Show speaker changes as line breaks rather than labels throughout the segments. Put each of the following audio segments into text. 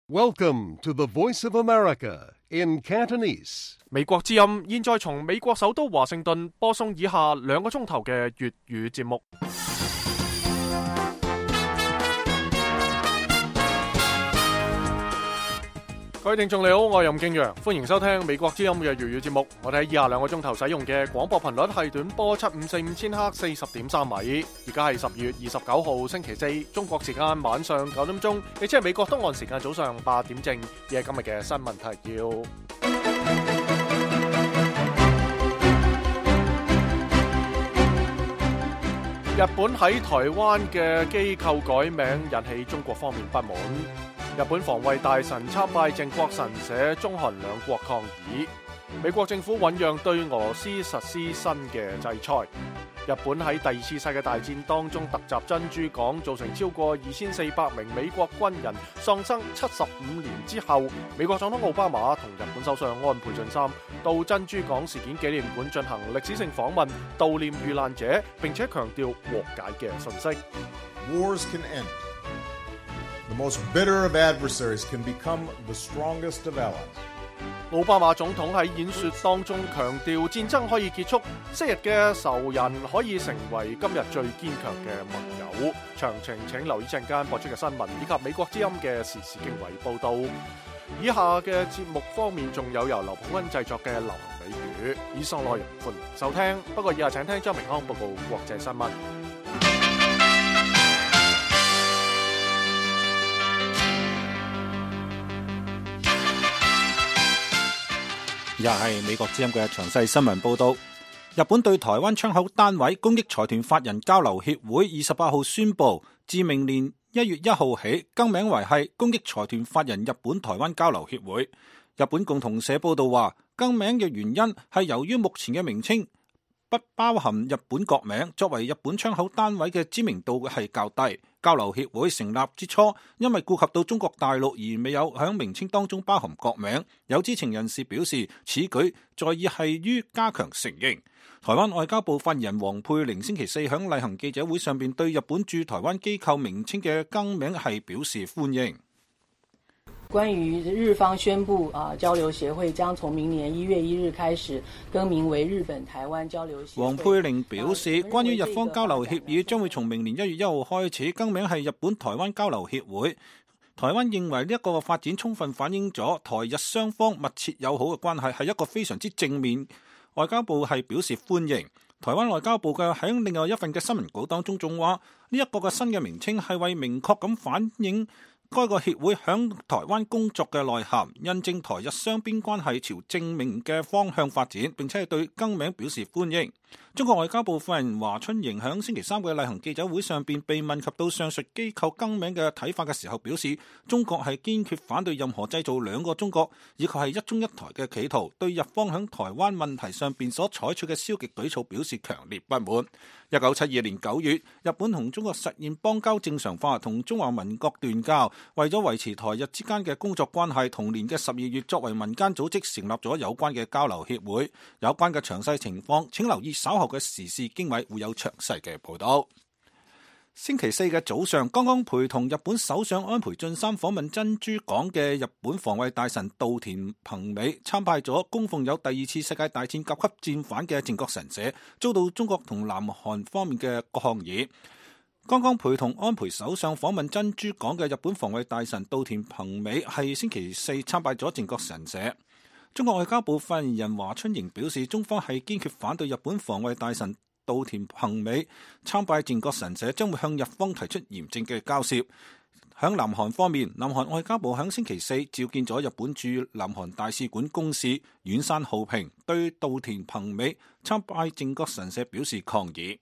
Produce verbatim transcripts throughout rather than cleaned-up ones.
Welcome to the Voice of America in Cantonese.
美國之音現在從美國首都華盛頓播送以下兩個鐘頭嘅粵語節目。各位聽眾你好，我係任敬陽，歡迎收聽美國之音嘅粵語節目。我哋喺以下兩個鐘頭使用嘅廣播頻率係短波七五四五千赫四十點三米。而家係十月二十九號星期四，中國時間晚上九點鐘，亦即係美國東岸時間早上八點正。亦係今日嘅新聞提要。日本喺台灣嘅機構改名引起中國方面不滿。日本防衛大臣參拜靖國神社，中韓兩國抗議。美國政府醞釀對俄羅斯實施新嘅制裁。日本喺第二次世界大戰當中突襲珍珠港，造成超過二千四百名美國軍人喪生。七十五年之後，美國總統奧巴馬同日本首相安倍晉三到珍珠港事件紀念館進行歷史性訪問，悼念遇難者，並且強調和解嘅訊息。
Wars can end. The most bitter of adversaries can become the strongest of allies.
奧巴馬總統喺演說當中強調戰爭可以結束，昔日嘅仇人可以成為今日最堅強嘅盟友。詳情請留意陣間播出嘅新聞以及美國之音嘅時事經緯報道。以下嘅節目方面仲有由劉普恩製作嘅流行美語，以上內容歡迎收聽。不過以下請聽張明康報告國際新聞。
又係美國之音嘅詳細新聞報道。日本對台灣窗口單位公益財團法人交流協會二十八號宣布，自明年一月一號起更名為係公益財團法人日本台灣交流協會。日本共同社報道話，更名嘅原因係由於目前嘅名稱不包含日本國名，作為日本窗口單位嘅知名度係較低。交流協會成立之初，因為顧及到中國大陸而未有響名稱當中包含國名。有知情人士表示，此舉在意係於加強承認。台灣外交部發言人黃佩玲星期四響例行記者會上邊對日本駐台灣機構名稱嘅更名係表示歡迎。
關於日方宣布啊，交流協會將從明年一月一日開始更名為日本台灣交流協會。
黃佩玲表示，關於日方交流協議將會從明年一月一號開始更名係日本台灣交流協會。台灣認為呢一個發展充分反映咗台日雙方密切友好嘅關係，係一個非常之正面。外交部係表示歡迎。台灣外交部嘅喺另外一份嘅新聞稿當中仲話，呢一個嘅新嘅名稱係為明確咁反映該個協會響台灣工作嘅內涵，印證台日雙邊關係朝正面嘅方向發展，並且係對更名表示歡迎。中國外交部發言人華春瑩響星期三嘅例行記者會上邊被問及到上述機構更名嘅睇法嘅時候，表示中國係堅決反對任何製造兩個中國以及係一中一台嘅企圖，對日方響台灣問題上邊所採取嘅消極舉措表示強烈不滿。一九七二年九月，日本同中國實現邦交正常化，同中華民國斷交。為咗維持台日之間嘅工作關係，同年嘅十二月作為民間組織成立咗有關嘅交流協會。有關嘅詳細情況請留意稍後嘅時事經緯，會有詳細嘅報道。星期四嘅早上，剛剛陪同日本首相安倍晉三訪問珍珠港嘅日本防衛大臣稻田朋美參拜咗供奉有第二次世界大戰甲級戰犯嘅靖國神社，遭到中國同南韓方面嘅抗議。剛剛陪同安倍首相訪問珍珠港嘅日本防衛大臣稻田朋美係星期四參拜咗靖國神社。中國外交部發言人華春瑩表示，中方係堅決反對日本防衛大臣稻田朋美參拜靖國神社，將會向日方提出嚴正嘅交涉。響南韓方面，南韓外交部響星期四召見咗日本駐南韓大使館公使遠山浩平，對稻田朋美參拜靖國神社表示抗議。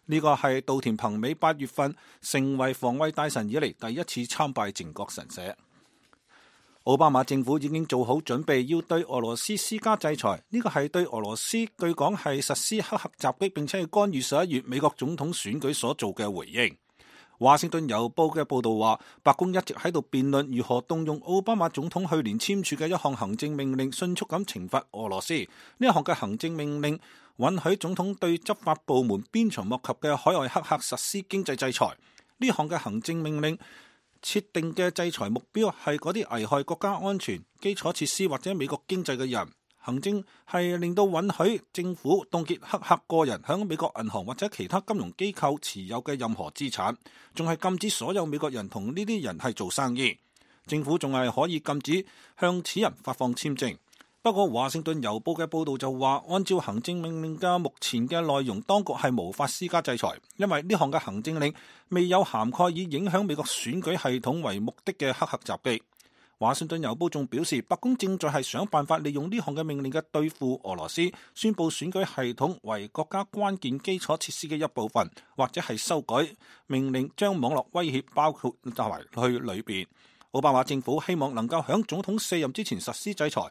呢個係稻田朋美八月份成為防衛大臣以嚟第一次參拜靖國神社。奧巴馬政府已經做好準備，要對俄羅斯施加制裁。呢個係對俄羅斯據講係實施黑客襲擊，並且係干預十一月美國總統選舉所做嘅回應。華盛頓郵報嘅報道話，白宮一直喺度辯論如何動用奧巴馬總統去年簽署嘅一項行政命令，迅速咁懲罰俄羅斯。呢一項嘅行政命令允許總統對執法部門鞭長莫及嘅海外黑客實施經濟制裁。呢項嘅行政命令設定嘅制裁目標係嗰啲危害國家安全、基礎設施或者美國經濟嘅人。行政係令到允許政府凍結黑客個人響美國銀行或者其他金融機構持有嘅任何資產，仲係禁止所有美國人同呢啲人係做生意。政府仲係可以禁止向此人發放簽證。不過華盛頓郵報嘅報導就話，按照行政命令嘅目前嘅內容，當局係無法施加制裁，因為呢項嘅行政令未有涵蓋以影響美國選舉系統為目的嘅黑客襲擊。華盛頓郵報仲表示，白宮正在係想辦法利用呢項嘅命令嘅對付俄羅斯，宣佈選舉系統為國家關鍵基礎設施嘅一部分，或者係修改命令將網絡威脅包括埋去裏邊。奧巴馬政府希望能夠喺總統卸任之前實施制裁。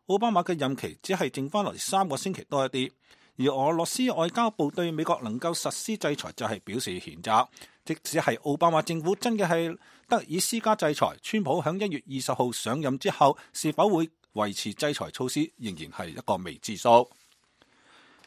奧巴馬嘅任期只係剩翻落嚟三個星期多一啲，而俄羅斯外交部對美國能夠實施制裁就係表示譴責。即使係奧巴馬政府真嘅係得以施加制裁，川普喺一月二十號上任之後，是否會維持制裁措施，仍然係一個未知數。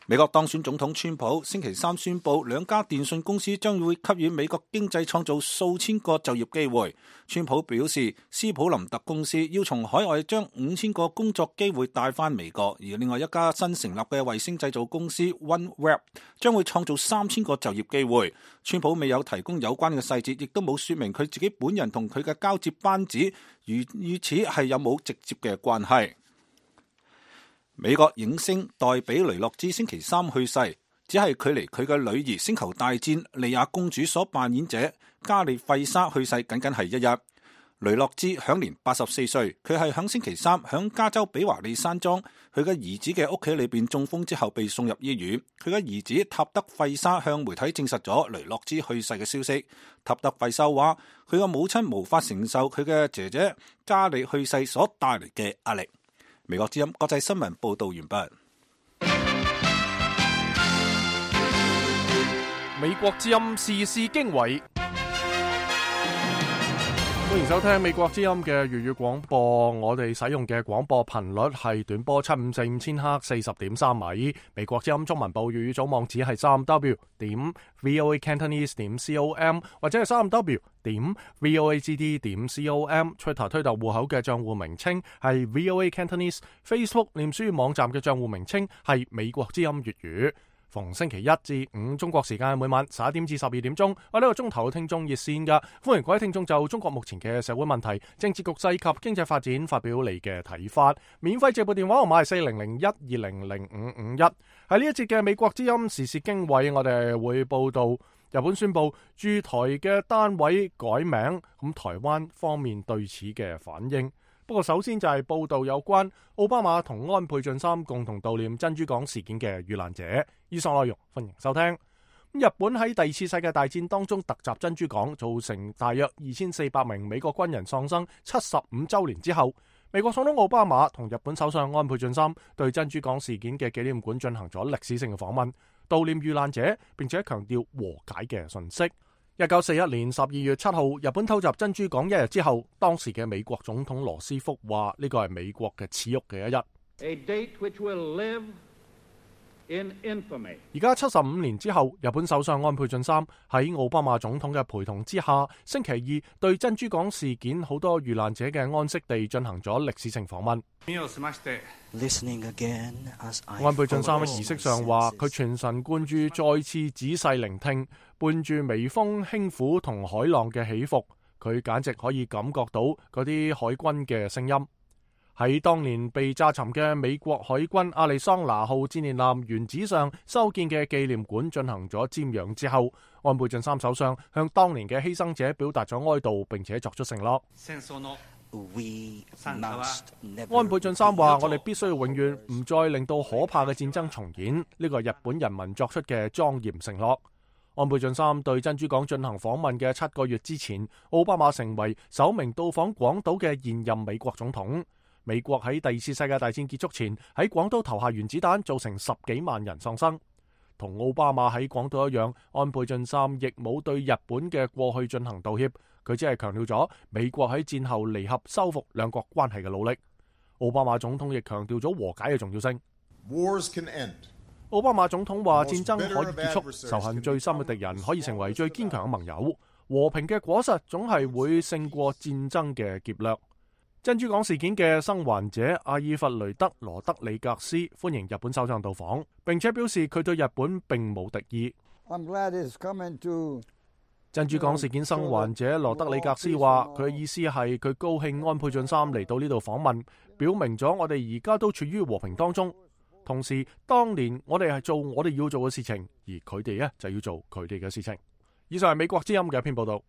美國當選總統川普星期三宣布，兩家電信公司將會給予美國經濟創造數千個就業機會。川普表示，斯普林特公司要從海外將五千個工作機會帶返美國，而另外一家新成立嘅衛星製造公司 OneWeb 將會創造三千個就業機會。川普未有提供有關嘅細節，亦都冇說明佢自己本人同佢嘅交接班子與與此係有冇直接嘅關係。美國影星黛比雷諾茲星期三去世，只係距離佢嘅女兒星球大戰莉亞公主所扮演者加利費莎去世僅僅係一日。雷諾茲享年八十四歲，佢係響星期三響加州比華利山莊佢嘅兒子嘅屋企裏邊中風之後被送入醫院。佢嘅兒子塔德費莎向媒體證實咗雷諾茲去世嘅消息。塔德費莎話佢嘅母親無法承受佢嘅姐姐加利去世所帶嚟嘅壓力。美國之音國際新聞報道完畢。
美國之音時事經緯，歡迎收聽美國之音嘅粵語廣播。我哋使用嘅廣播頻率係短波七五四五千赫四十點三米。美國之音中文部粵語組網址係三 w 點 voa cantonese 點 com 或者係三 w 點 voacd 點 com。Twitter 推特戶口嘅賬戶名稱係 voa cantonese。Facebook 臉書網站嘅賬戶名稱係美國之音粵語。逢星期一至五中國時間每晚十一點至十二點鐘，我呢個鐘頭聽眾熱線噶，歡迎各位聽眾就中國目前嘅社會問題、政治局勢及經濟發展發表你嘅睇法。免費借撥電話號碼係四零零一二零零五五一。喺呢一節嘅美國之音時事經緯，我哋會報道日本宣布駐台嘅單位改名，咁台灣方面對此嘅反應。不過首先就係報道有關奧巴馬同安倍晉三共同悼念珍珠港事件嘅遇難者。以上內容歡迎收聽。日本喺第二次世界大戰當中突襲珍珠港，造成大約二千四百名美國軍人喪生。七十五週年之後，美國總統奧巴馬同日本首相安倍晉三對珍珠港事件嘅紀念館進行咗歷史性嘅訪問，悼念遇難者，並且強調和解嘅訊息。一九四一年十二月七號，日本偷襲珍珠港一日之後，當時嘅美國總統羅斯福話呢個係美國嘅恥辱嘅一日。
A date which will live in infamy.
而家七十五年之後，日本首相安倍晉三喺奧巴馬總統嘅陪同之下，星期二對珍珠港事件好多遇難者嘅安息地進行咗歷史性訪問。安倍晉三喺儀式上話，佢全神貫注，再次仔細聆聽，伴住微風輕撫同海浪嘅起伏，佢簡直可以感覺到嗰啲海軍嘅聲音。喺當年被炸沉嘅美國海軍亞利桑那號戰艦艦原址上修建嘅紀念館進行咗瞻仰之後，安倍晉三首相向當年嘅犧牲者表達咗哀悼，並且作出承諾。安倍晉三話：我哋必須要永遠唔再令到可怕嘅戰爭重演，呢個係日本人民作出嘅莊嚴承諾。安倍晉三對珍珠港進行訪問嘅七個月之前，奧巴馬成為首名到訪廣島嘅現任美國總統。美國喺第二次世界大戰結束前喺廣島投下原子彈，造成十幾萬人喪生。同奧巴馬喺廣島一樣，安倍晉三亦冇對日本嘅過去進行道歉，佢只係強調咗美國喺戰後彌合修復兩國關係嘅努力。奧巴馬總統亦強調咗和解嘅重要性。
Wars can end.
奧巴馬總統話：戰爭可以結束，仇恨最深嘅敵人可以成為最堅強嘅盟友。和平嘅果實總係會勝過戰爭嘅劫掠。珍珠港事件嘅生還者阿爾弗雷德羅德里格斯歡迎日本首相到訪，並且表示佢對日本並冇敵意。
I'm glad it's coming to...
珍珠港事件生還者羅德里格斯話，佢嘅意思係佢高興安倍晉三嚟到呢度訪問，表明咗我哋而家都處於和平當中。同時，當年我哋係做我哋要做嘅事情，而佢哋呢就要做佢哋嘅事情。以上係美國之音嘅一篇報道。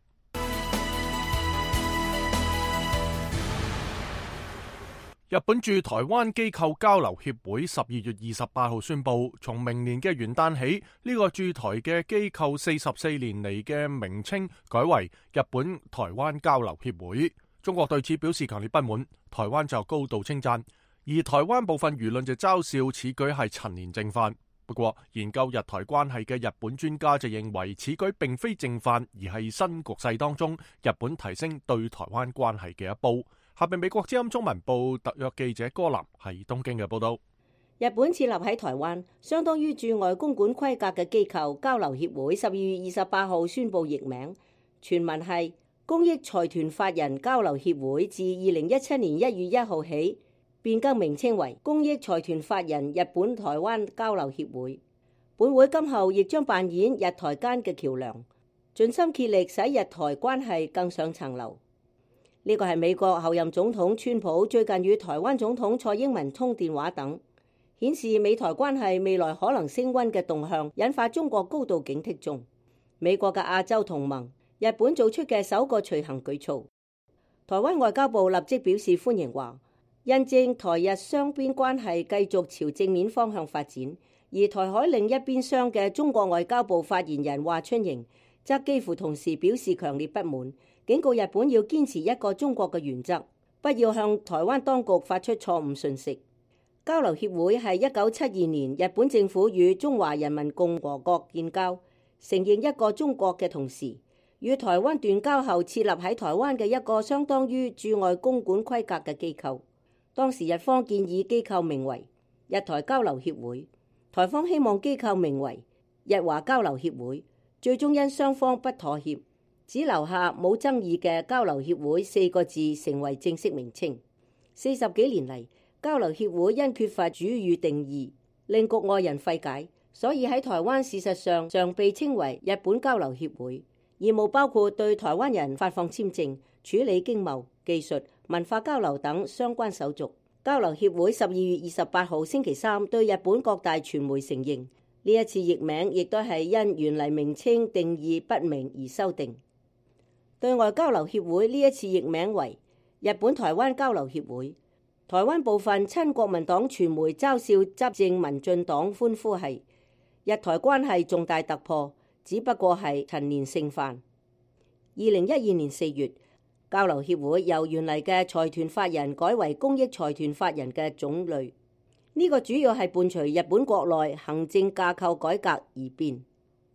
日本駐台灣機構交流協會十二月二十八號宣布，從明年嘅元旦起，呢、這個駐台嘅機構四十四年嚟嘅名稱改為日本台灣交流協會。中國對此表示強烈不滿，台灣就高度稱讚，而台灣部分輿論就嘲笑此舉係陳年正犯。不過，研究日台關係嘅日本專家就認為，此舉並非正犯，而係新局勢當中日本提升對台灣關係嘅一步。下邊美國之音中文部特約記者柯南喺東京嘅報道。
日本設立喺台灣，相當於駐外公館規格嘅機構交流協會，十二月二十八號宣布易名，全文係公益財團法人交流協會，自二零一七年一月一號起變更名稱為公益財團法人日本台灣交流協會。本會今後亦將扮演日台間嘅橋樑，盡心竭力使日台關係更上層樓。呢個係美國後任總統川普最近與台灣總統蔡英文通電話等，顯示美台關係未來可能升溫嘅動向，引發中國高度警惕中。美國嘅亞洲同盟日本做出嘅首個隨行舉措，台灣外交部立即表示歡迎，話印證台日雙邊關係繼續朝正面方向發展。而台海另一邊廂嘅中國外交部發言人華春瑩則幾乎同時表示強烈不滿，警告日本要堅持一個中國嘅原則，不要向台灣當局發出錯誤訊息。交流協會係一九七二年日本政府與中華人民共和國建交，承認一個中國嘅同時，與台灣斷交後設立喺台灣嘅一個相當於駐外公館規格嘅機構。當時日方建議機構名為日台交流協會，台方希望機構名為日華交流協會，最終因雙方不妥協，只留下冇爭議嘅交流協會四個字成為正式名稱。四十幾年嚟，交流協會因缺乏主語定義，令局外人費解，所以喺台灣事實上常被稱為日本交流協會。業務包括對台灣人發放簽證、處理經貿、技術、文化交流等相關手續。交流協會十二月二十八號星期三對日本各大傳媒承認，呢一次譯名亦都係因原嚟名稱定義不明而修訂。對外交流協會呢一次譯名為日本台灣交流協會。台灣部分親國民黨傳媒嘲笑執政民進黨，歡呼係日台關係重大突破，只不過係陳年盛犯。二零一二年四月，交流協會由原嚟嘅財團法人改為公益財團法人嘅種類，呢、這個主要係伴隨日本國內行政架構改革而變，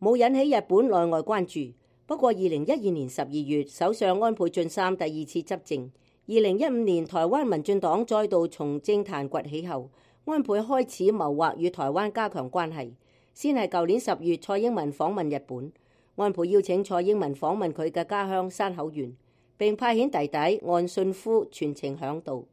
冇引起日本內外關注。不過二零一二年十二月，首相安倍晉三第二次執政，二零一五年台灣民進黨再度從政壇崛起後，安倍開始謀劃與台灣加強關係。先係舊年十月，蔡英文訪問日本，安倍邀請蔡英文訪問佢嘅家鄉山口縣，並派遣弟弟岸信夫全程響導。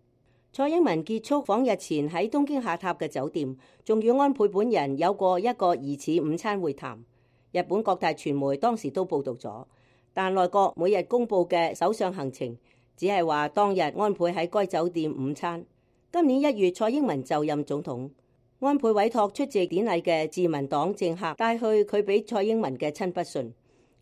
蔡英文結束訪日前喺東京下榻嘅酒店，仲與安倍本人有過一個疑似午餐會談。日本各大傳媒當時都報導咗，但內閣每日公佈嘅首相行程只係話當日安倍喺該酒店午餐。今年一月，蔡英文就任總統，安倍委託出席典禮嘅自民黨政客帶去佢俾蔡英文嘅親筆信。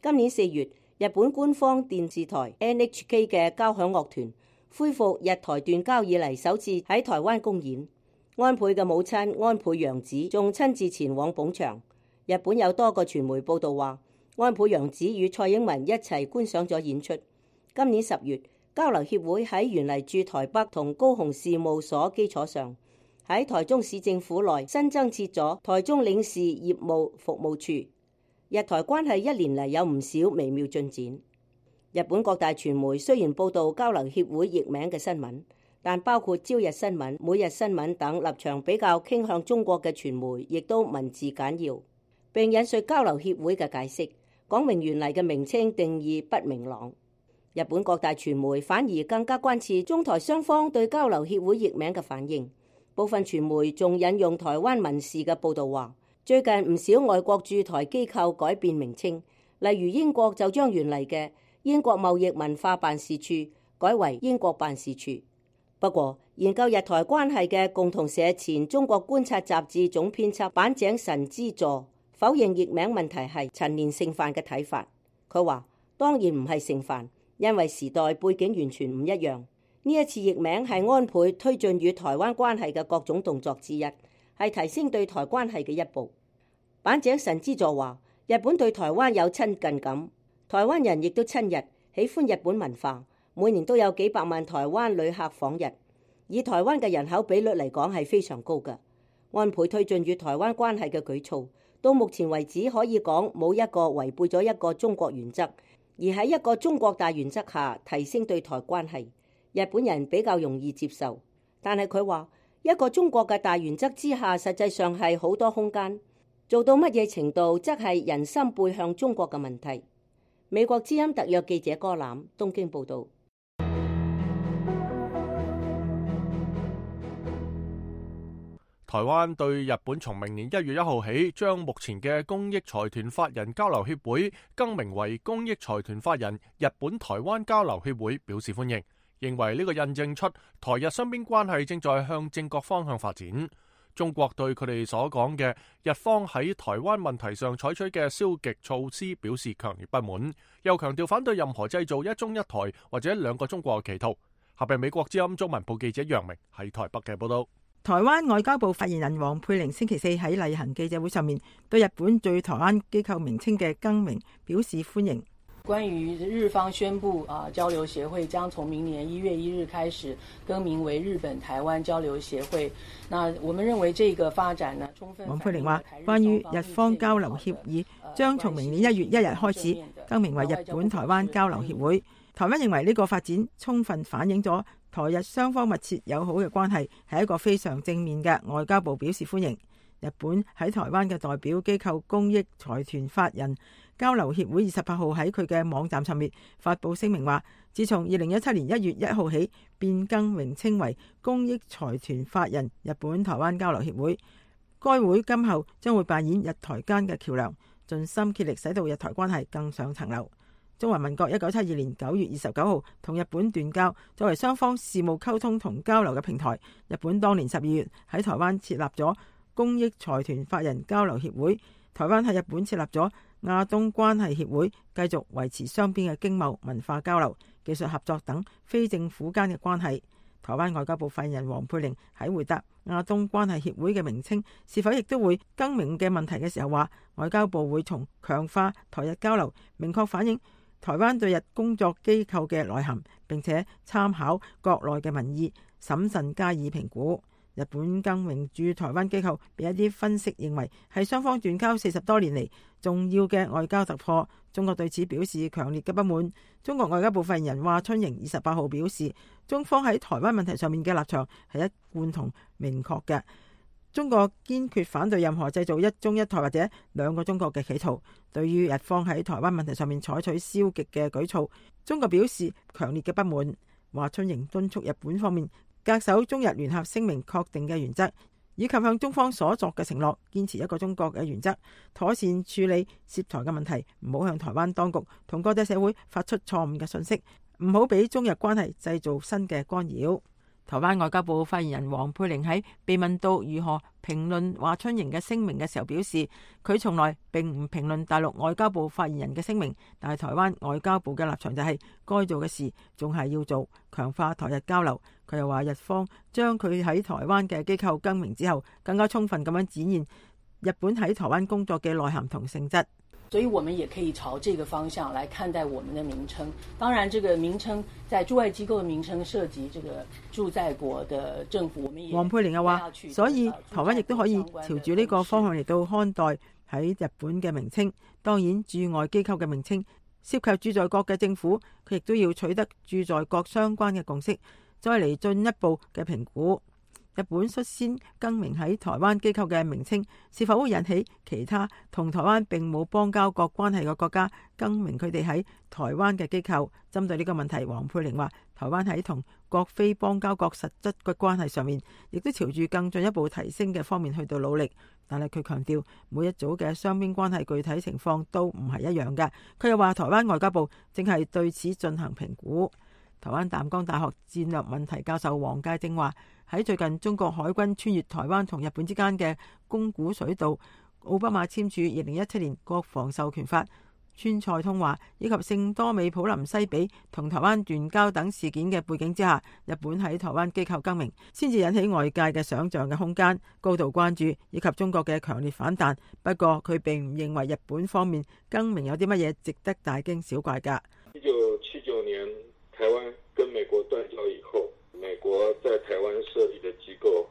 今年四月，日本官方電視台 N H K 嘅交響樂團恢復日台斷交以嚟首次喺台灣公演，安倍嘅母親安倍洋子仲親自前往捧場。日本有多個傳媒報道話，安倍洋子與蔡英文一齊觀賞咗演出。今年十月，交流協會喺原嚟駐台北同高雄事務所基礎上，喺台中市政府內新增設咗台中領事業務服務處。日台關係一年嚟有唔少微妙進展。日本各大傳媒雖然報道交流協會譯名嘅新聞，但包括朝日新聞、每日新聞等立場比較傾向中國嘅傳媒，亦都文字簡要，並引述交流協會嘅解釋，講明原嚟嘅名稱定義不明朗。日本各大傳媒反而更加關切中台雙方對交流協會譯名嘅反應，部分傳媒仲引用台灣民視嘅報導話，最近唔少外國駐台機構改變名稱，例如英國就將原嚟嘅英國貿易文化辦事處改為英國辦事處。不過，研究日台關係嘅共同社前中國觀察雜誌總編輯坂井神之助否認譯名問題係陳年盛範嘅睇法。佢話：當然唔係盛範，因為時代背景完全唔一樣。呢一次譯名係安倍推進與台灣關係嘅各種動作之一，係提升對台關係嘅一步。坂井神之助話：日本對台灣有親近感，台灣人亦都親日，喜歡日本文化，每年都有幾百萬台灣旅客訪日。以台灣嘅人口比率嚟講係非常高嘅。安倍推進與台灣關係嘅舉措，到目前為止可以講冇一個違背咗一個中國原則，而喺一個中國大原則下提升對台關係，日本人比較容易接受。但係佢話一個中國嘅大原則之下，實際上係好多空間，做到乜嘢程度則係人心背向中國嘅問題。美國之音特約記者柯攬東京報導。
台灣對日本從明年一月一號起，將目前嘅公益財團法人交流協會更名為公益財團法人日本台灣交流協會，表示歡迎，認為呢個印證出台日雙邊關係正在向正確方向發展。中國對佢哋所講嘅日方喺台灣問題上採取嘅消極措施表示強烈不滿，又強調反對任何製造一中一台或者兩個中國嘅企圖。下邊美國之音中文部記者楊明喺台北嘅報道。
台灣外交部發言人黃佩玲星期四喺例行記者會上面對日本對台灣機構名稱嘅更名表示歡迎。
關於日方宣布啊，交流協會將從明年一月一日開始更名為日本台灣交流協會。那我們認為這個發展呢，充分。
黃佩玲話：關於日方交流協議將從明年一月一日開始更名為日本台灣交流協會，台灣認為呢個發展充分反映咗台日雙方密切友好嘅關係，係一個非常正面嘅。外交部表示歡迎。日本喺台灣嘅代表機構公益財團法人交流協會二十八號喺佢嘅網站上面發佈聲明話，自從二零一七年一月一號起變更名稱為公益財團法人日本台灣交流協會，該會今後將會扮演日台間嘅橋樑，盡心竭力使到日台關係更上層樓。中華民國一九七二年九月二十九號同日本斷交，作為雙方事務溝通同交流嘅平台，日本當年十二月喺台灣設立咗公益財團法人交流協會，台灣喺日本設立咗亞東關係協會，繼續維持雙邊嘅經貿、文化交流、技術合作等非政府間嘅關係。台灣外交部發言人黃佩玲喺回答亞東關係協會嘅名稱是否亦都會更名嘅問題嘅時候話，外交部會從強化台日交流，明確反映台灣對日工作機構嘅內涵，並且參考國內嘅民意，審慎加以評估。日本更名駐台灣機構被一啲分析認為係雙方斷交四十多年嚟重要嘅外交突破，中國對此表示強烈嘅不滿。中國外交部發言人華春瑩二十八號表示，中方喺台灣問題上面嘅立場係一貫同明確嘅，中國堅決反對任何製造一中一台或者兩個中國嘅企圖。對於日方喺台灣問題上面採取消極嘅舉措，中國表示強烈嘅不滿。華春瑩敦促日本方面恪守中日聯合聲明確定嘅原則，以及向中方所作嘅承諾，堅持一個中國嘅原則，妥善處理涉台嘅問題，唔好向台灣當局同國際社會發出錯誤嘅信息，唔好俾中日關係製造新嘅干擾。台灣外交部發言人黃佩玲喺被問到如何評論華春瑩嘅聲明嘅時候表示，佢從來並唔評論大陸外交部發言人嘅聲明，但係台灣外交部嘅立場就係該做嘅事仲係要做，強化台日交流。佢又話日方將佢喺台灣嘅機構更名之後，更加充分咁樣展現日本喺台灣工作嘅內涵同性質。
所以我們也可以朝這個方向來看待我們的名稱。當然，這個名稱在駐外機構的名稱涉及這個駐在國的政府，我們也黃
佩玲又話，所以台灣亦都可以朝住呢個方向嚟到看待喺日本嘅名稱。當然，駐外機構嘅名稱涉及駐在國嘅政府，佢亦都要取得駐在國相關嘅共識，再嚟進一步嘅評估。日本率先更名喺台灣機構嘅名稱，是否會引起其他同台灣並冇邦交國關係嘅國家更名佢哋喺台灣嘅機構？針對呢個問題，黃佩玲話：台灣喺同各非邦交國實質嘅關係上面，亦都朝住更進一步提升嘅方面去到努力。但係佢強調，每一組嘅雙邊關係具體情況都唔係一樣嘅。佢又話，台灣外交部正係對此進行評估。台灣淡江大學戰略問題教授黃介正話：喺最近中國海軍穿越台灣同日本之間嘅宮古水道，奧巴馬簽署二零一七年國防授權法、川菜通話以及聖多美普林西比同台灣斷交等事件嘅背景之下，日本喺台灣機構更名，先至引起外界嘅想象嘅空間、高度關注以及中國嘅強烈反彈。不過佢並唔認為日本方面更名有啲乜嘢值得大驚小怪㗎。
一九七九年台灣跟美國斷交以後，美國在台灣設立的機構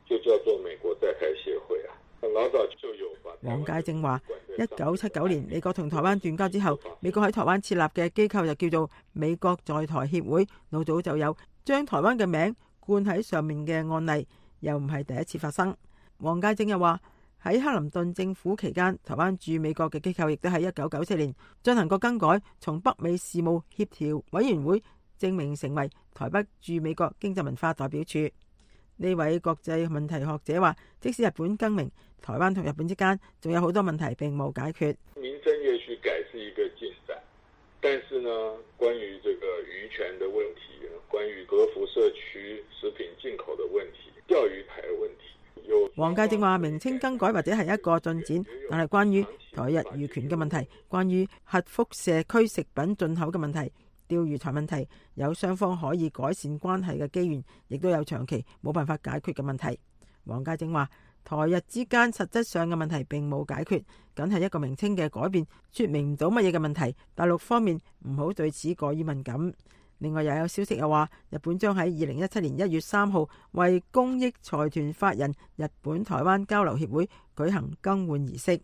就叫做美國在台協會啊，老早就有。
黃介正話：一九七九年美國同台灣斷交之後，美國喺台灣設立嘅機構就叫做美國在台協會，老早就有將台灣嘅名冠喺上面嘅案例，又唔係第一次發生。黃介正又話：喺克林頓政府期間，台灣駐美國嘅機構亦都喺一九九四年進行過更改，從北美事務協調委員會正名成為台北駐美國經濟文化代表處。呢位國際問題學者話：即使日本更名，台灣同日本之間仲有好多問題並冇解決。
名稱也許改是一個進展，但是呢，關於這個漁權的問題，關於核輻射區食品進口的問題，釣魚台的問題，有
黃介正話：名稱更改或者係一個進展，但係關於台日漁權嘅問題，關於核輻射區食品進口嘅問題，釣魚台問題，有雙方可以改善關係嘅機緣，亦都有長期冇辦法解決嘅問題。黃介正話：台日之間實質上嘅問題並冇解決，僅係一個名稱嘅改變，說明唔到乜嘢嘅問題。大陸方面唔好對此過於敏感。另外又有消息又話，日本將喺二零一七年一月三號為公益財團法人日本台灣交流協會舉行更換儀式。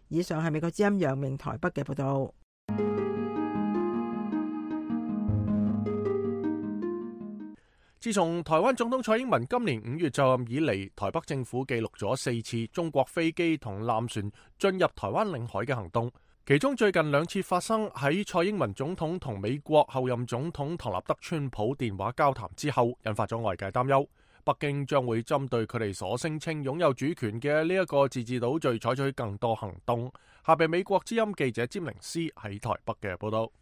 以上係美國之音楊明台北嘅報道。
自從台灣總統蔡英文今年五月就任以嚟，台北政府記錄咗四次中國飛機同艦船進入台灣領海嘅行動，其中最近兩次發生喺蔡英文總統同美國後任總統唐納德川普電話交談之後，引發咗外界擔憂，北京將會針對佢哋所聲稱擁有主權嘅呢一個自治島嶼採取更多行動。下邊美國之音記者詹寧斯喺台北嘅報道。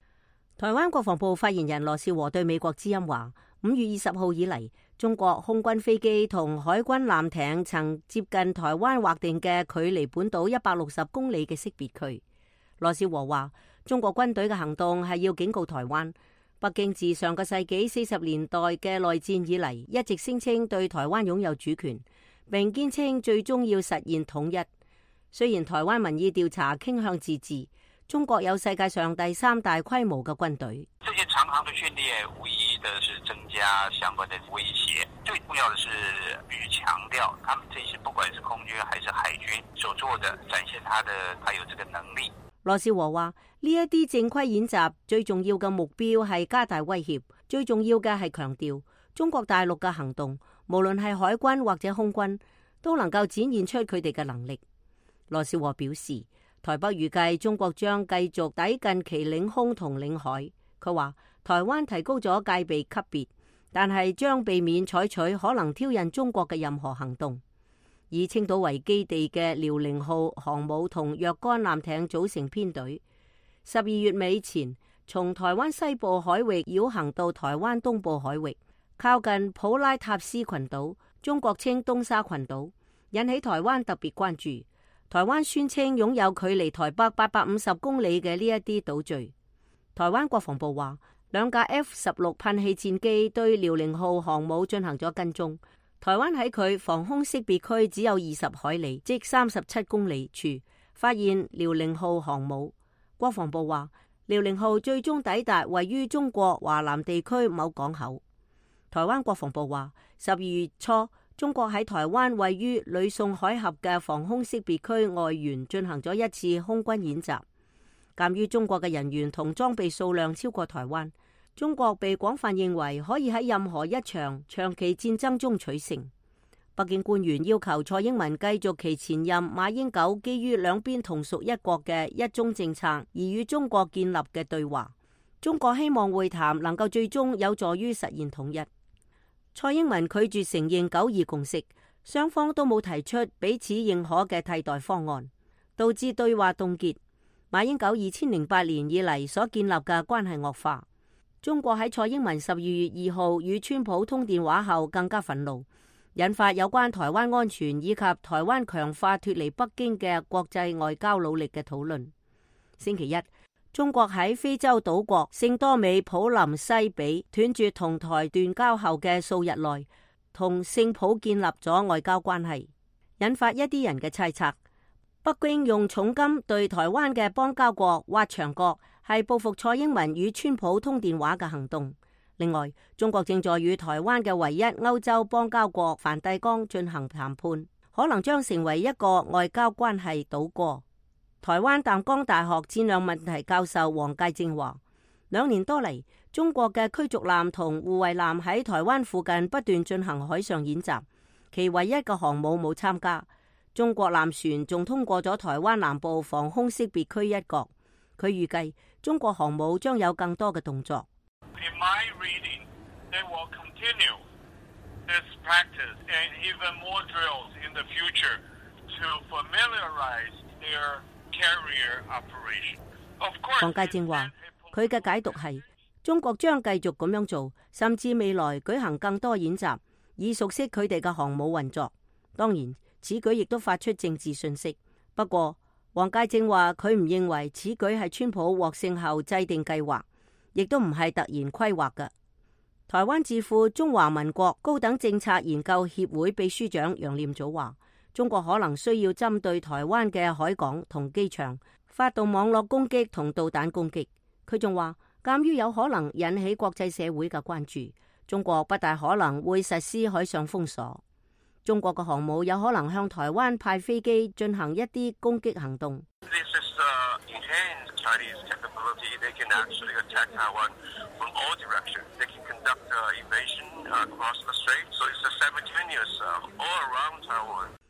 台灣國防部發言人羅仕和對美國之音話：五月二十號以嚟，中國空軍飛機同海軍艦艇曾接近台灣劃定嘅距離本島一百六十公里嘅識別區。羅仕和話：中國軍隊嘅行動係要警告台灣，北京自上個世紀四十年代嘅內戰以嚟，一直聲稱對台灣擁有主權，並堅稱最終要實現統一。雖然台灣民意調查傾向自治，中國有世界上第三大規模嘅軍隊。
這些長航的訓練無疑的是增加相關的威脅，最重要的是必須強調，他們這些不管是空軍還是海軍所做的，展現他的他有這個能力。
羅仕和話：呢一啲正規演習最重要嘅目標係加大威脅，最重要嘅係強調中國大陸嘅行動，無論係海軍或者空軍，都能夠展現出佢哋嘅能力。羅仕和表示，台北預計中國將繼續抵近其領空同領海。佢話台灣提高咗戒備級別，但係將避免採取可能挑釁中國嘅任何行動。以青島為基地嘅遼寧號航母同若干艦艇組成編隊，十二月尾前從台灣西部海域繞行到台灣東部海域，靠近普拉塔斯群島，中國稱東沙群島，引起台灣特別關注。台灣宣稱擁有距離台北八百五十公里嘅呢一啲島嶼。台灣國防部話，兩架 F 十六噴氣戰機對遼寧號航母進行咗跟蹤。台灣喺佢防空識別區只有二十海里，即三十七公里處，發現遼寧號航母。國防部話，遼寧號最終抵達位於中國華南地區某港口。台灣國防部話，十二月初，中國喺台灣位於呂宋海峽嘅防空識別區外緣進行咗一次空軍演習。鑒於中國嘅人員同裝備數量超過台灣，中國被廣泛認為可以喺任何一場長期戰爭中取勝。北京官員要求蔡英文繼續其前任馬英九基於兩邊同屬一國嘅一中政策而與中國建立嘅對話。中國希望會談能夠最終有助於實現統一。蔡英文拒絕承認九二共識，雙方都冇提出彼此認可嘅替代方案，導致對話凍結。馬英九二千零八年以嚟所建立嘅關係惡化。中國喺蔡英文十二月二號與川普通電話後更加憤怒，引發有關台灣安全以及台灣強化脫離北京嘅國際外交努力嘅討論。星期一，中國喺非洲島國聖多美普林西比斷絕同台斷交後嘅數日內，同聖普建立咗外交關係，引發一啲人嘅猜測。北京用重金對台灣嘅邦交國挖牆角，係報復蔡英文與川普通電話嘅行動。另外，中國正在與台灣嘅唯一歐洲邦交國梵蒂岡進行談判，可能將成為一個外交關係倒過。台灣淡江大學戰略問題教授黃介正話，兩年多嚟，中國嘅驅逐艦同護衛艦喺台灣附近不斷進行海上演習，其唯一嘅航母冇參加。中國艦船仲通過咗台灣南部防空識別區一角，佢預計中國航母將有更多嘅動作。
In my reading, they will continue this practice and even more drills in the future to familiarize their carrier operation. Of course,
黃介正話，佢嘅解讀係中國將繼續咁樣做，甚至未來舉行更多演習，以熟悉佢哋嘅航母運作。當然，此舉亦都發出政治訊息。不過，黃介正話佢唔認為此舉係川普獲勝後制定計劃，亦都唔係突然規劃嘅。台灣智庫中華民國高等政策研究協會秘書長楊念祖話，中國可能需要針對台灣嘅海港同機場發動網絡攻擊同導彈攻擊。佢仲話，鑒於有可能引起國際社會嘅關注，中國不大可能會實施海上封鎖。中國嘅航母有可能向台灣派飛機進行一啲攻擊行動。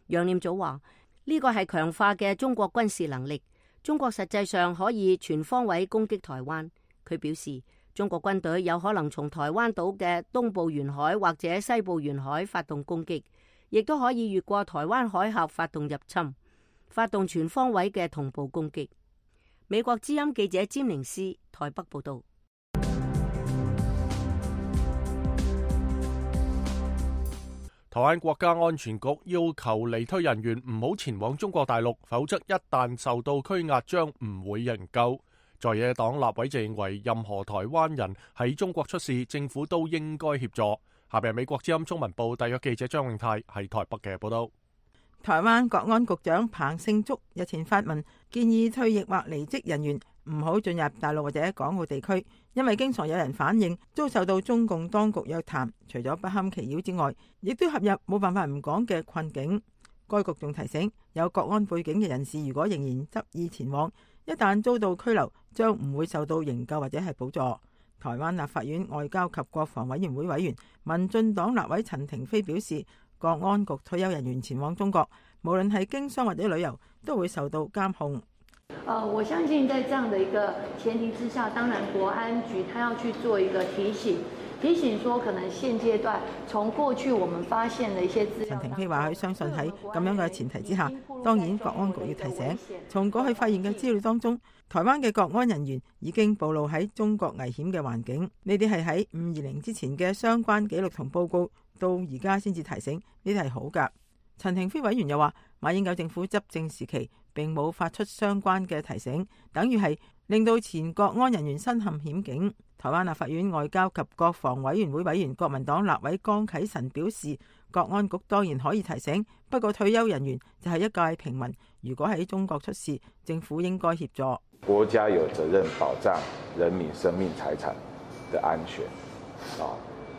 楊念祖話：呢個係強化嘅中國軍事能力，中國實際上可以全方位攻擊台灣。佢表示，中國軍隊有可能從台灣島嘅東部沿海或者西部沿海發動攻擊。亦都可以越過台灣海峽發動入侵，發動全方位嘅同步攻擊。美國之音記者詹寧斯台北報道。
台灣國家安全局要求離退人員唔好前往中國大陸，否則一旦受到拘押，將唔會營救。在野黨立委就認為，任何台灣人喺中國出事，政府都應該協助。下邊係美國之音中文部特約記者張永泰喺台北嘅報道。
台灣國安局長彭勝竹日前發文建議退役或離職人員唔好進入大陸或者港澳地區，因為經常有人反映遭受到中共當局約談，除咗不堪其擾之外，亦都陷入冇辦法唔講嘅困境。該局仲提醒有國安背景嘅人士，如果仍然執意前往，一旦遭到拘留，將唔會受到營救或者係補助。台灣立法院外交及國防委員會委員民進黨立委陳亭妃表示，國安局退休人員前往中國，無論係經商或者旅遊，都會受到監控。
呃，我相信在這樣的一個前提之下，當然國安局他要去做一個提醒，提醒說可能現階段從過去我們發現的一些資料。
陳亭妃話佢相信喺咁樣嘅前提之下，當然國安局要提醒，從過去發現嘅資料當中，台灣嘅國安人員已經暴露喺中國危險嘅環境。呢啲係喺五二零之前嘅相關記錄同報告，到而家先至提醒，呢啲係好噶。陳亭妃委員又話，馬英九政府執政時期並冇發出相關嘅提醒，等於係令到前國安人員身陷險境。台灣立法院外交及國防委員會委員國民黨立委江啟臣表示，國安局當然可以提醒，不過退休人員就係一介平民，如果喺中國出事，政府應該協助。
國家有責任保障人民生命財產的安全。哦，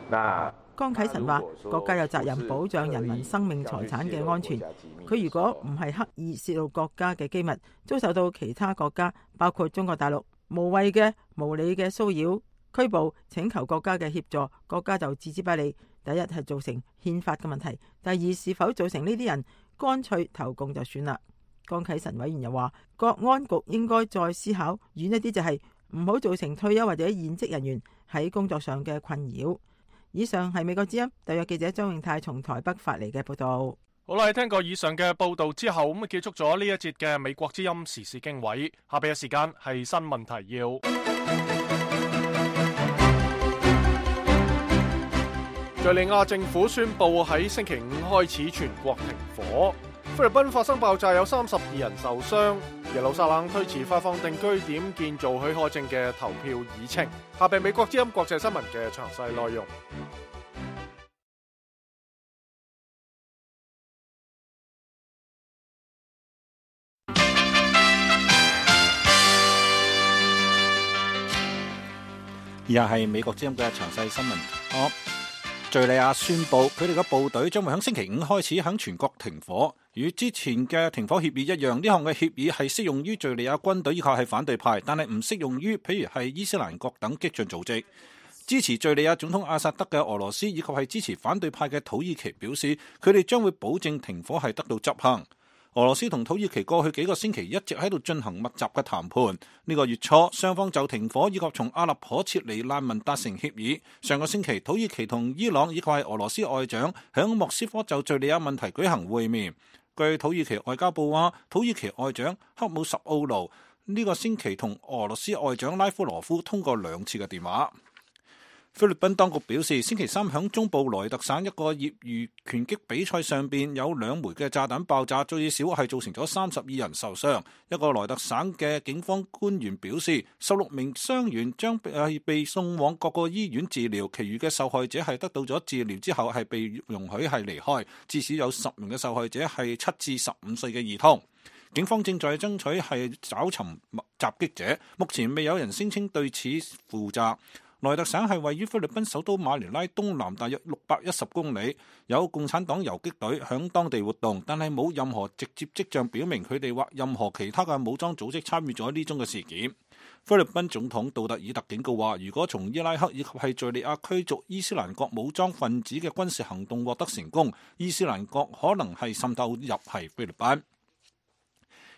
那
江啟臣話，國家有責任保障人民生命財產嘅安全。佢如果唔係刻意泄露國家嘅機密，遭受到其他國家，包括中國大陸無謂嘅無理嘅騷擾，拘捕請求國家嘅協助，國家就置之不理。第一係造成憲法嘅問題，第二是否造成呢啲人乾脆投共就算啦。江啟臣委員又話，國安局應該再思考遠一啲，就係唔好造成退休或者現職人員喺工作上嘅困擾。以上係美國之音特約記者張永泰從台北發嚟嘅報道。
好啦，聽過以上嘅報道之後，咁啊結束咗呢一節嘅美國之音時事經緯。下邊嘅時間係新聞提要。敘利亞政府宣布喺星期五開始全國停火。菲律賓發生爆炸，有三十二人受傷。耶路撒冷推遲發放定居點建造許可證嘅投票議程。下邊美國之音國際新聞嘅詳細內容。
以下係美國之音嘅詳細新聞。哦，敘利亞宣布佢哋嘅部隊將會喺星期五開始喺全國停火。與之前嘅停火協議一樣，呢項嘅協議係適用於敘利亞軍隊以及係反對派，但係唔適用於譬如係伊斯蘭國等激進組織。支持敘利亞總統阿薩德嘅俄羅斯以及係支持反對派嘅土耳其表示，佢哋將會保證停火係得到執行。俄羅斯同土耳其過去幾個星期一直喺度進行密集嘅談判。呢個月初，雙方就停火以及從阿勒頗撤離難民達成協議。上個星期，土耳其同伊朗以及係俄羅斯外長響莫斯科就敘利亞問題舉行會面。據土耳其外交部話，土耳其外長克姆什奧盧呢個星期同俄羅斯外長拉夫羅夫通過兩次嘅電話。菲律賓當局表示，星期三響中部萊特省一個業餘拳擊比賽上邊有兩枚嘅炸彈爆炸，最少係造成咗三十二人受傷。一個萊特省嘅警方官員表示，十六名傷員將係被送往各個醫院治療，其餘嘅受害者係得到咗治療之後係被容許係離開。至少有十名嘅受害者係七至十五歲嘅兒童。警方正在爭取係找尋襲擊者，目前未有人聲稱對此負責。萊特省係位於菲律賓首都馬尼拉東南大約六百一十公里，有共產黨游擊隊響當地活動，但係冇任何直接跡象表明佢哋或任何其他嘅武裝組織參與咗呢宗嘅事件。菲律賓總統杜特爾特警告話，如果從伊拉克以及係敘利亞驅逐伊斯蘭國武裝分子嘅軍事行動獲得成功，伊斯蘭國可能係滲透入係菲律賓。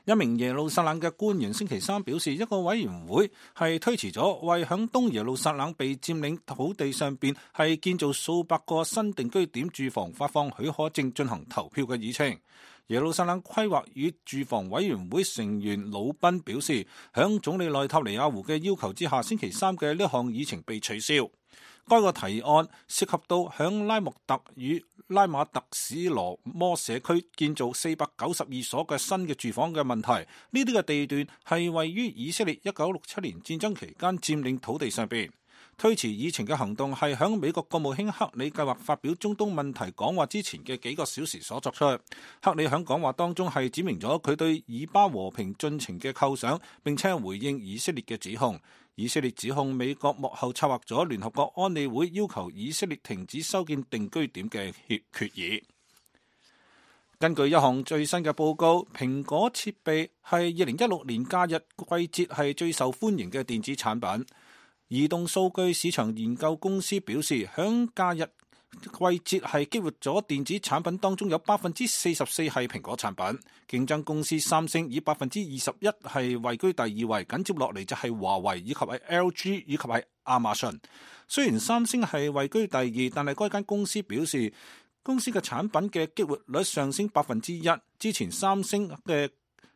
一名耶路撒冷嘅官員星期三表示，一個委員會係推遲咗為響東耶路撒冷被佔領土地上邊係建造數百個新定居點住房發放許可證進行投票嘅議程。耶路撒冷規劃與住房委員會成員魯賓表示，響總理內塔尼亞胡嘅要求之下，星期三嘅呢項議程被取消。該個提案涉及到響拉莫特與拉馬特史羅摩社區建造四百九十二所嘅新嘅住房嘅問題。呢啲嘅地段係位於以色列一九六七年戰爭期間佔領土地上邊。推遲議程嘅行動係響美國國務卿克里計劃發表中東問題講話之前嘅幾個小時所作出。克里響講話當中係指明咗佢對以巴和平進程嘅構想，並且回應以色列嘅指控。以色列指控美國幕後策劃咗聯合國安理會要求以色列停止修建定居點嘅決議。根據一項最新嘅報告，蘋果設備係二零一六年假日季節係最受歡迎嘅電子產品。移動數據市場研究公司表示，響假日季節係激活咗電子產品當中有百分之四十四係蘋果產品，競爭公司三星以百分之二十一係位居第二位，緊接落嚟就係華為以及係 L G 以及係亞馬遜。雖然三星係位居第二，但係該間公司表示，公司嘅產品嘅激活率上升百分之一。之前三星嘅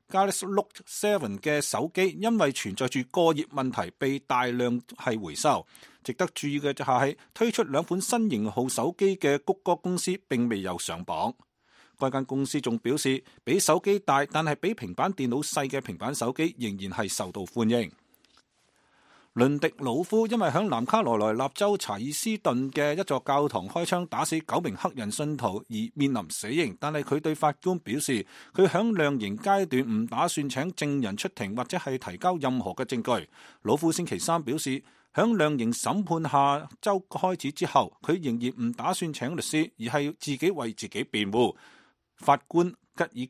Galaxy Note 七嘅手機因為存在住過熱問題被大量係回收。值得注意嘅就係推出兩款新型號手機嘅谷歌公司並未有上榜。該間公司仲表示，比手機大但係比平板電腦細嘅平板手機仍然係受到歡迎。倫迪魯夫因為響南卡羅來納州查爾斯頓嘅一座教堂開槍打死九名黑人信徒而面臨死刑，但係佢對法官表示，佢響量刑階段唔打算請證人出庭或者係提交任何嘅證據。魯夫星期三表示，響量刑審判下周開始之後，佢仍然唔打算請律師，而係自己為自己辯護。法官吉爾吉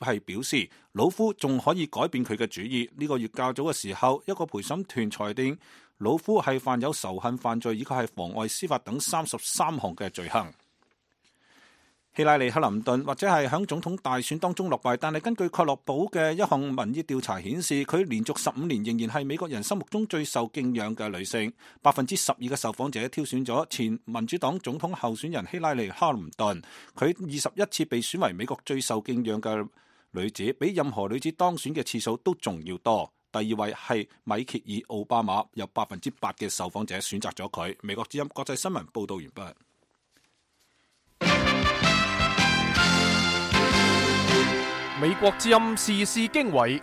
爾係表示，魯夫仲可以改變佢嘅主意。呢、這個月較早嘅時候，一個陪審團裁定老夫係犯有仇恨犯罪以及係妨礙司法等三十三項嘅罪行。希拉里克林頓或者係響總統大選當中落敗，但係根據蓋洛普嘅一項民意調查顯示，佢連續十五年仍然係美國人心目中最受敬仰嘅女性。百分之十二嘅受訪者挑選咗前民主黨總統候選人希拉里克林頓，佢二十一次被選為美國最受敬仰嘅女子，比任何女子當選嘅次數都仲要多。第二位係米歇爾奧巴馬，有百分之八嘅受訪者選擇咗佢。美國之音國際新聞報道完畢。
美國之音時事經緯，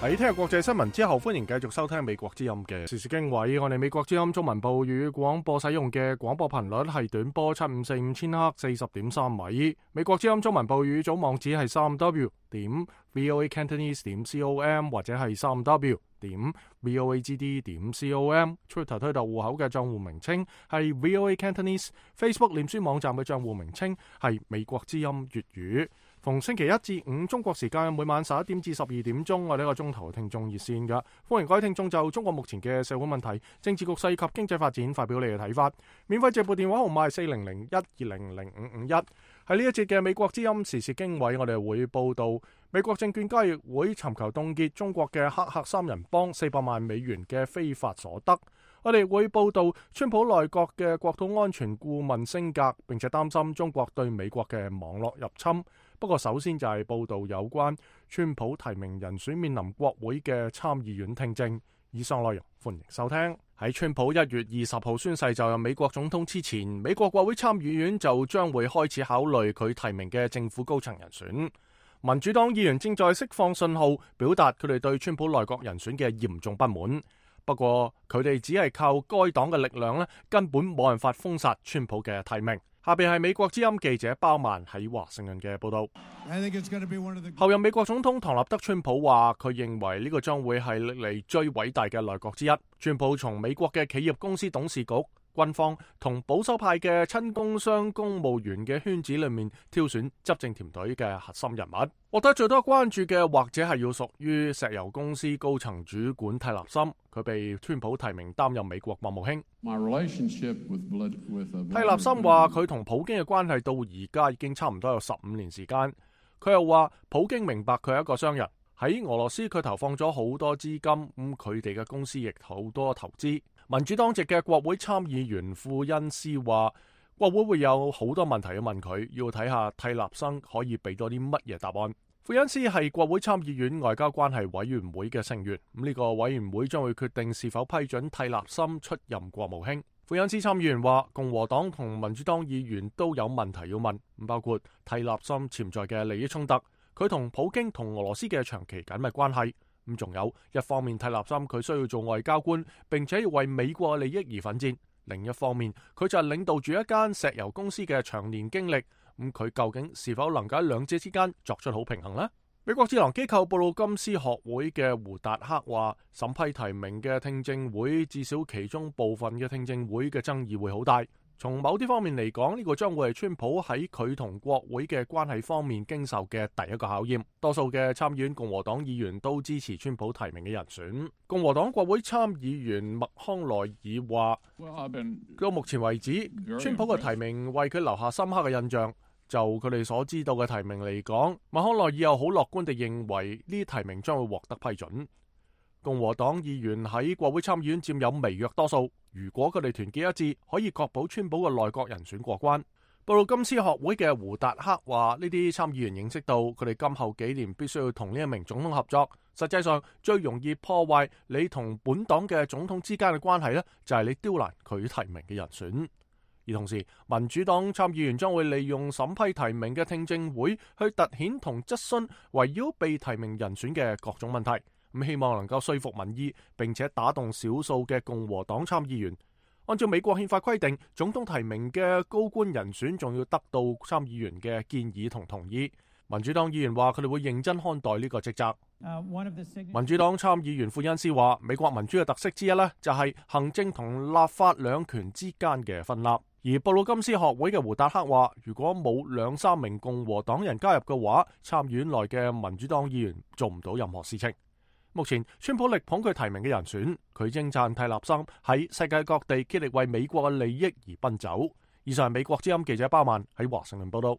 喺聽日國際新聞之後，歡迎繼續收聽美國之音嘅時事經緯。我哋美國之音中文部語廣播使用嘅廣播頻率係短波七五四五千赫四十點三米。美國之音中文部語組網址係三 w 點 voa cantonese 點 com 或者係三 w 點 voa g d 點 com。Twitter 推特戶口嘅賬戶名稱係 voa cantonese。Facebook 臉書網站嘅賬戶名稱係美國之音粵語。逢星期一至五中國時間每晚十一點至十二點鐘，我哋一個鐘頭聽眾熱線㗎，歡迎各位聽眾就中國目前嘅社會問題、政治局勢及經濟發展發表你嘅睇法。免費直撥電話號碼係四零零一二零零五五一。喺呢一節嘅美國之音時事經緯，我哋會報道美國證券交易會尋求凍結中國嘅黑客三人幫四百萬美元嘅非法所得。我哋會報道川普內閣嘅國土安全顧問升格，並且擔心中國對美國嘅網絡入侵。不過首先就係報道有關川普提名人選面臨國會嘅參議院聽證。以上內容歡迎收聽。喺川普一月二十號宣誓就任美國總統之前，美國國會參議院就將會開始考慮佢提名嘅政府高層人選。民主黨議員正在釋放信號，表達佢哋對川普內閣人選嘅嚴重不滿。不過佢哋只係靠該黨嘅力量咧，根本冇辦法封殺川普嘅提名。下邊係美國之音記者包曼喺華盛頓嘅報道。後任美國總統唐納德川普話，佢認為呢個將會係歷嚟最偉大嘅內閣之一。川普從美國嘅企業公司董事局、軍方同保守派嘅親工商公務員嘅圈子裏面挑選執政團隊嘅核心人物。獲得最多關注嘅或者係要屬於石油公司高層主管蒂勒森，佢被川普提名擔任美國國務卿。蒂勒森話佢同普京嘅關係到而家已經差唔多有十五年時間。佢又話普京明白佢係一個商人，喺俄羅斯佢投放咗好多資金，咁佢哋嘅公司亦好多投資。民主黨籍嘅國會參議員富恩斯話，國會會有好多問題要問佢，要睇下蒂勒森可以俾多啲乜嘢答案。富恩斯係國會參議院外交關係委員會嘅成員，咁呢個委員會將會決定是否批准蒂勒森出任國務卿。富恩斯參議員話，共和黨同民主黨議員都有問題要問，包括蒂勒森潛在嘅利益衝突，佢同普京同俄羅斯嘅長期緊密關係，咁仲有一方面蒂勒森佢需要做外交官，並且要為美國利益而奮戰，另一方面佢就係領導住一間石油公司嘅長年經歷。咁佢究竟是否能夠喺兩者之間作出好平衡呢？美國智囊機構布魯金斯學會嘅胡達克話，審批提名嘅聽證會至少其中部分嘅聽證會嘅爭議會好大。從某啲方面嚟講，呢個將會係川普喺佢同國會嘅關係方面經受嘅第一個考驗。多數嘅參議院共和黨議員都支持川普提名嘅人選。共和黨國會參議員麥康奈爾話，到目前為止，川普嘅提名為佢留下深刻嘅印象。就佢哋所知道嘅提名嚟講，麥康奈爾又好樂觀地認為呢啲提名將會獲得批准。共和黨議員喺國會參議院佔有微弱多數，如果佢哋團結一致，可以確保川普嘅內閣人選過關。布魯金斯學會嘅胡達克話，呢啲參議員認識到佢哋今後幾年必須要同呢一名總統合作。實際上最容易破壞你同本黨嘅總統之間嘅關係呢，就係你刁難佢提名嘅人選。而同時，民主黨參議員將會利用審批提名嘅聽證會去突顯同質詢圍繞被提名人選嘅各種問題，咁希望能夠說服民意，並且打動少數嘅共和黨參議員。按照美國憲法規定，總統提名嘅高官人選仲要得到參議員嘅建議同同意。民主黨議員話佢哋會認真看待呢個職責。民主黨參議員富恩斯話，美國民主嘅特色之一呢，就係行政同立法兩權之間嘅分立。而布魯金斯學會嘅胡達克話，如果冇兩三名共和黨人加入嘅話，參議院內嘅民主黨議員做唔到任何事情。目前川普力捧佢提名嘅人選，佢稱讚蒂勒森喺世界各地竭力為美國嘅利益而奔走。以上係美國之音記者包曼喺華盛頓報道。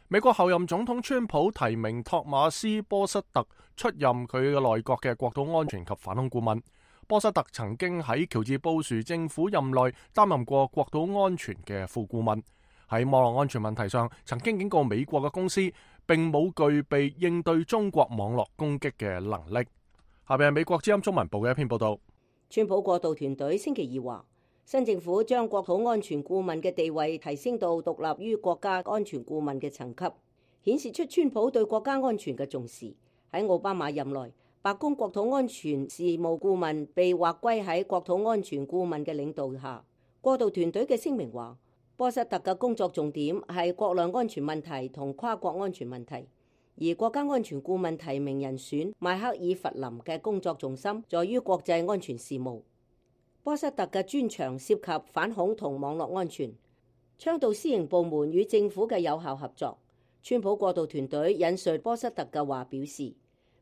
美國候任總統川普提名托馬斯波瑟特出任佢嘅內閣嘅國土安全及反恐顧問。波瑟特曾經喺喬治布殊政府任內擔任過國土安全嘅副顧問，喺網絡安全問題上曾經警告美國嘅公司並冇具備應對中國網絡攻擊嘅能力。下邊係美國之音中文部嘅一篇報道。
川普過渡團隊星期二話，新政府將國土安全顧問嘅地位提升到獨立於國家安全顧問嘅層級，顯示出川普對國家安全嘅重視。喺奧巴馬任內，白宮國土安全事務顧問被劃歸喺國土安全顧問嘅領導下。過渡團隊嘅聲明話，波瑟特嘅工作重點係國內安全問題同跨國安全問題，而國家安全顧問提名人選邁克爾弗林嘅工作重心在於國際安全事務。波瑟特嘅專長涉及反恐同網絡安全，倡導私營部門與政府嘅有效合作。川普過渡團隊引述波瑟特嘅話表示，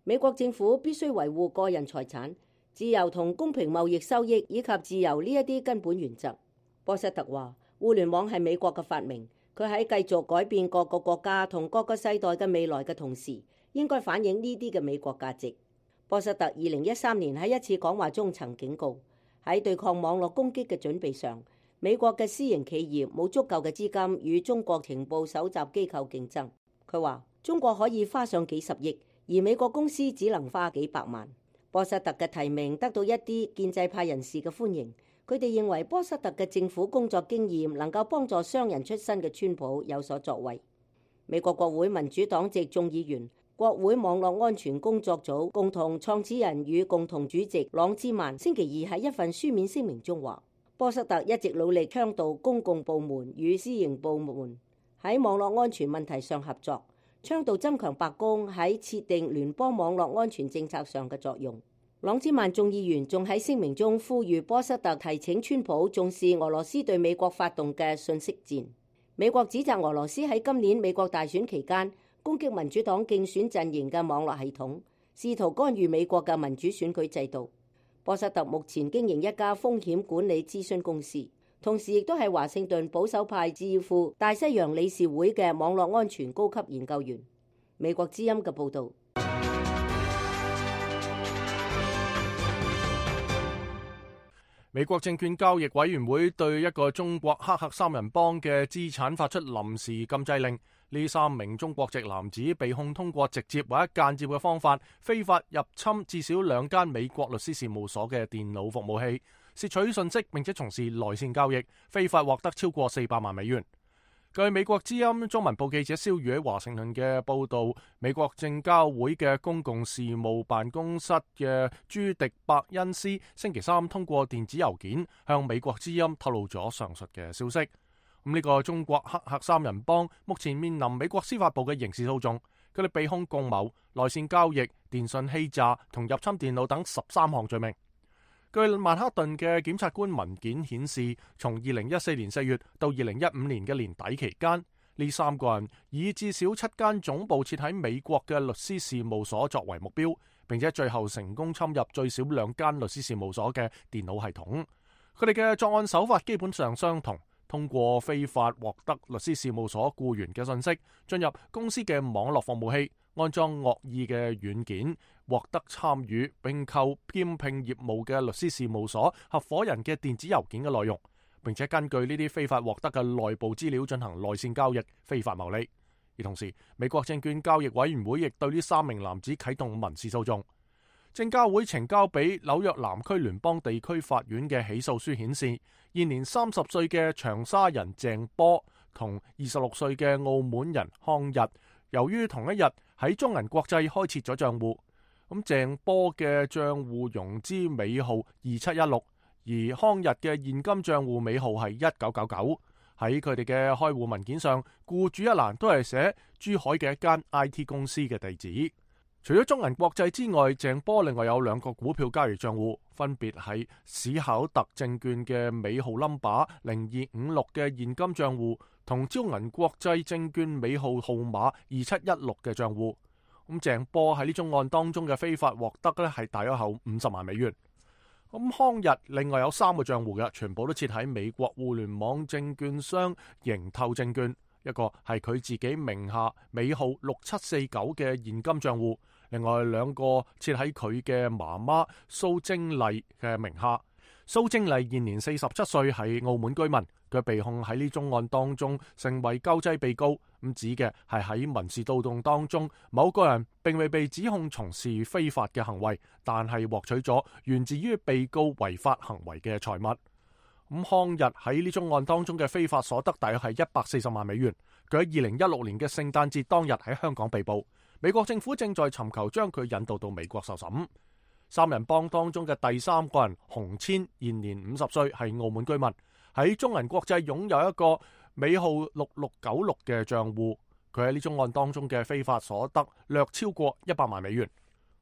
美國政府必須維護個人財產、自由同公平貿易收益以及自由呢一啲根本原則。波瑟特話，互聯網係美國嘅發明，佢喺繼續改變各個國家同各個世代嘅未來嘅同時，應該反映呢啲嘅美國價值。波瑟特二零一三年喺一次講話中曾警告，喺對抗網絡攻擊嘅準備上，美國嘅私營企業冇足夠嘅資金與中國情報搜集機構競爭。佢話中國可以花上幾十億，而美國公司只能花幾百萬。波瑟特嘅提名得到一啲建制派人士嘅歡迎，佢哋認為波瑟特嘅政府工作經驗能夠幫助商人出身嘅川普有所作為。美國國會民主黨籍眾議員、國會網絡安全工作組共同創始人與共同主席朗茲曼星期二喺一份書面聲明中話，波瑟特一直努力倡導公共部門與私營部門喺網絡安全問題上合作，倡導增強白宮喺設定聯邦網絡安全政策上嘅作用。朗茲曼眾議員仲喺聲明中呼籲波瑟特提請川普重視俄羅斯對美國發動嘅信息戰。美國指責俄羅斯喺今年美國大選期間攻擊民主黨競選陣營嘅網絡系統，試圖干預美國嘅民主選舉制度。波瑟特目前經營一家風險管理諮詢公司，同時亦都係華盛頓保守派智庫大西洋理事會嘅網絡安全高級研究員。美國之音嘅報導。
美國證券交易委員會對一個中國黑客三人幫嘅資產發出臨時禁制令。呢三名中國籍男子被控通過直接或者間接嘅方法，非法入侵至少兩間美國律師事務所嘅電腦服務器，竊取信息並且從事內線交易，非法獲得超過四百萬美元。據美國之音中文部記者蕭宇喺華盛頓嘅報道，美國證交會嘅公共事務辦公室嘅朱迪伯恩斯星期三通過電子郵件向美國之音透露咗上述嘅消息。咁呢個中國黑客三人幫目前面臨美國司法部嘅刑事訴訟，佢哋被控共謀、內線交易、電信欺詐同入侵電腦等十三項罪名。據曼克頓嘅檢察官文件顯示，從二零一四年四月到二零一五年嘅年底期間，呢三個人以至少七間總部設喺美國嘅律師事務所作為目標，並且最後成功侵入最少兩間律師事務所嘅電腦系統。佢哋嘅作案手法基本上相同，通過非法獲得律師事務所僱員嘅信息，進入公司嘅網絡服務器，安裝惡意嘅軟件，獲得參與並購兼聘業務嘅律師事務所合夥人嘅電子郵件嘅內容，並且根據呢啲非法獲得嘅內部資料進行內線交易，非法牟利。而同時，美國證券交易委員會亦對呢三名男子啟動民事訴訟。證交會呈交俾紐約南區聯邦地區法院嘅起訴書顯示，現年三十歲嘅長沙人鄭波同二十六歲嘅澳門人康日，由於同一日喺中銀國際開設咗賬戶，咁鄭波嘅賬戶融資尾號二七一六，而康日嘅現金賬戶尾號係一九九九。喺佢哋嘅開戶文件上，僱主一欄都係寫珠海嘅一間 I T 公司嘅地址。除咗中銀國際之外，鄭波另外有兩個股票交易賬戶，分別係史考特證券嘅尾號 number 零二五六嘅現金賬戶，同招銀國際證券尾號號碼二七一六嘅賬戶。咁鄭波喺呢宗案當中嘅非法獲得呢係大約後五十萬美元。咁康日另外有三個賬戶嘅，全部都設喺美國互聯網證券商盈透證券，一個係佢自己名下尾號六七四九嘅現金賬戶，另外兩個設喺佢嘅媽媽蘇貞麗嘅名下。蘇貞麗現年四十七歲，係澳門居民。佢被控喺呢宗案當中成為救濟被告，咁指嘅係喺民事訴訟當中，某個人並未被指控從事非法嘅行為，但係獲取咗源自於被告違法行為嘅財物。咁康日喺呢宗案當中嘅非法所得大約係一百四十萬美元。佢喺二零一六年嘅聖誕節當日喺香港被捕，美國政府正在尋求將佢引渡到美國受審。三人幫當中嘅第三個人洪千現年五十歲，係澳門居民，喺中銀國際擁有一個尾號六六九六嘅賬戶。佢喺呢宗案當中嘅非法所得略超過一百萬美元。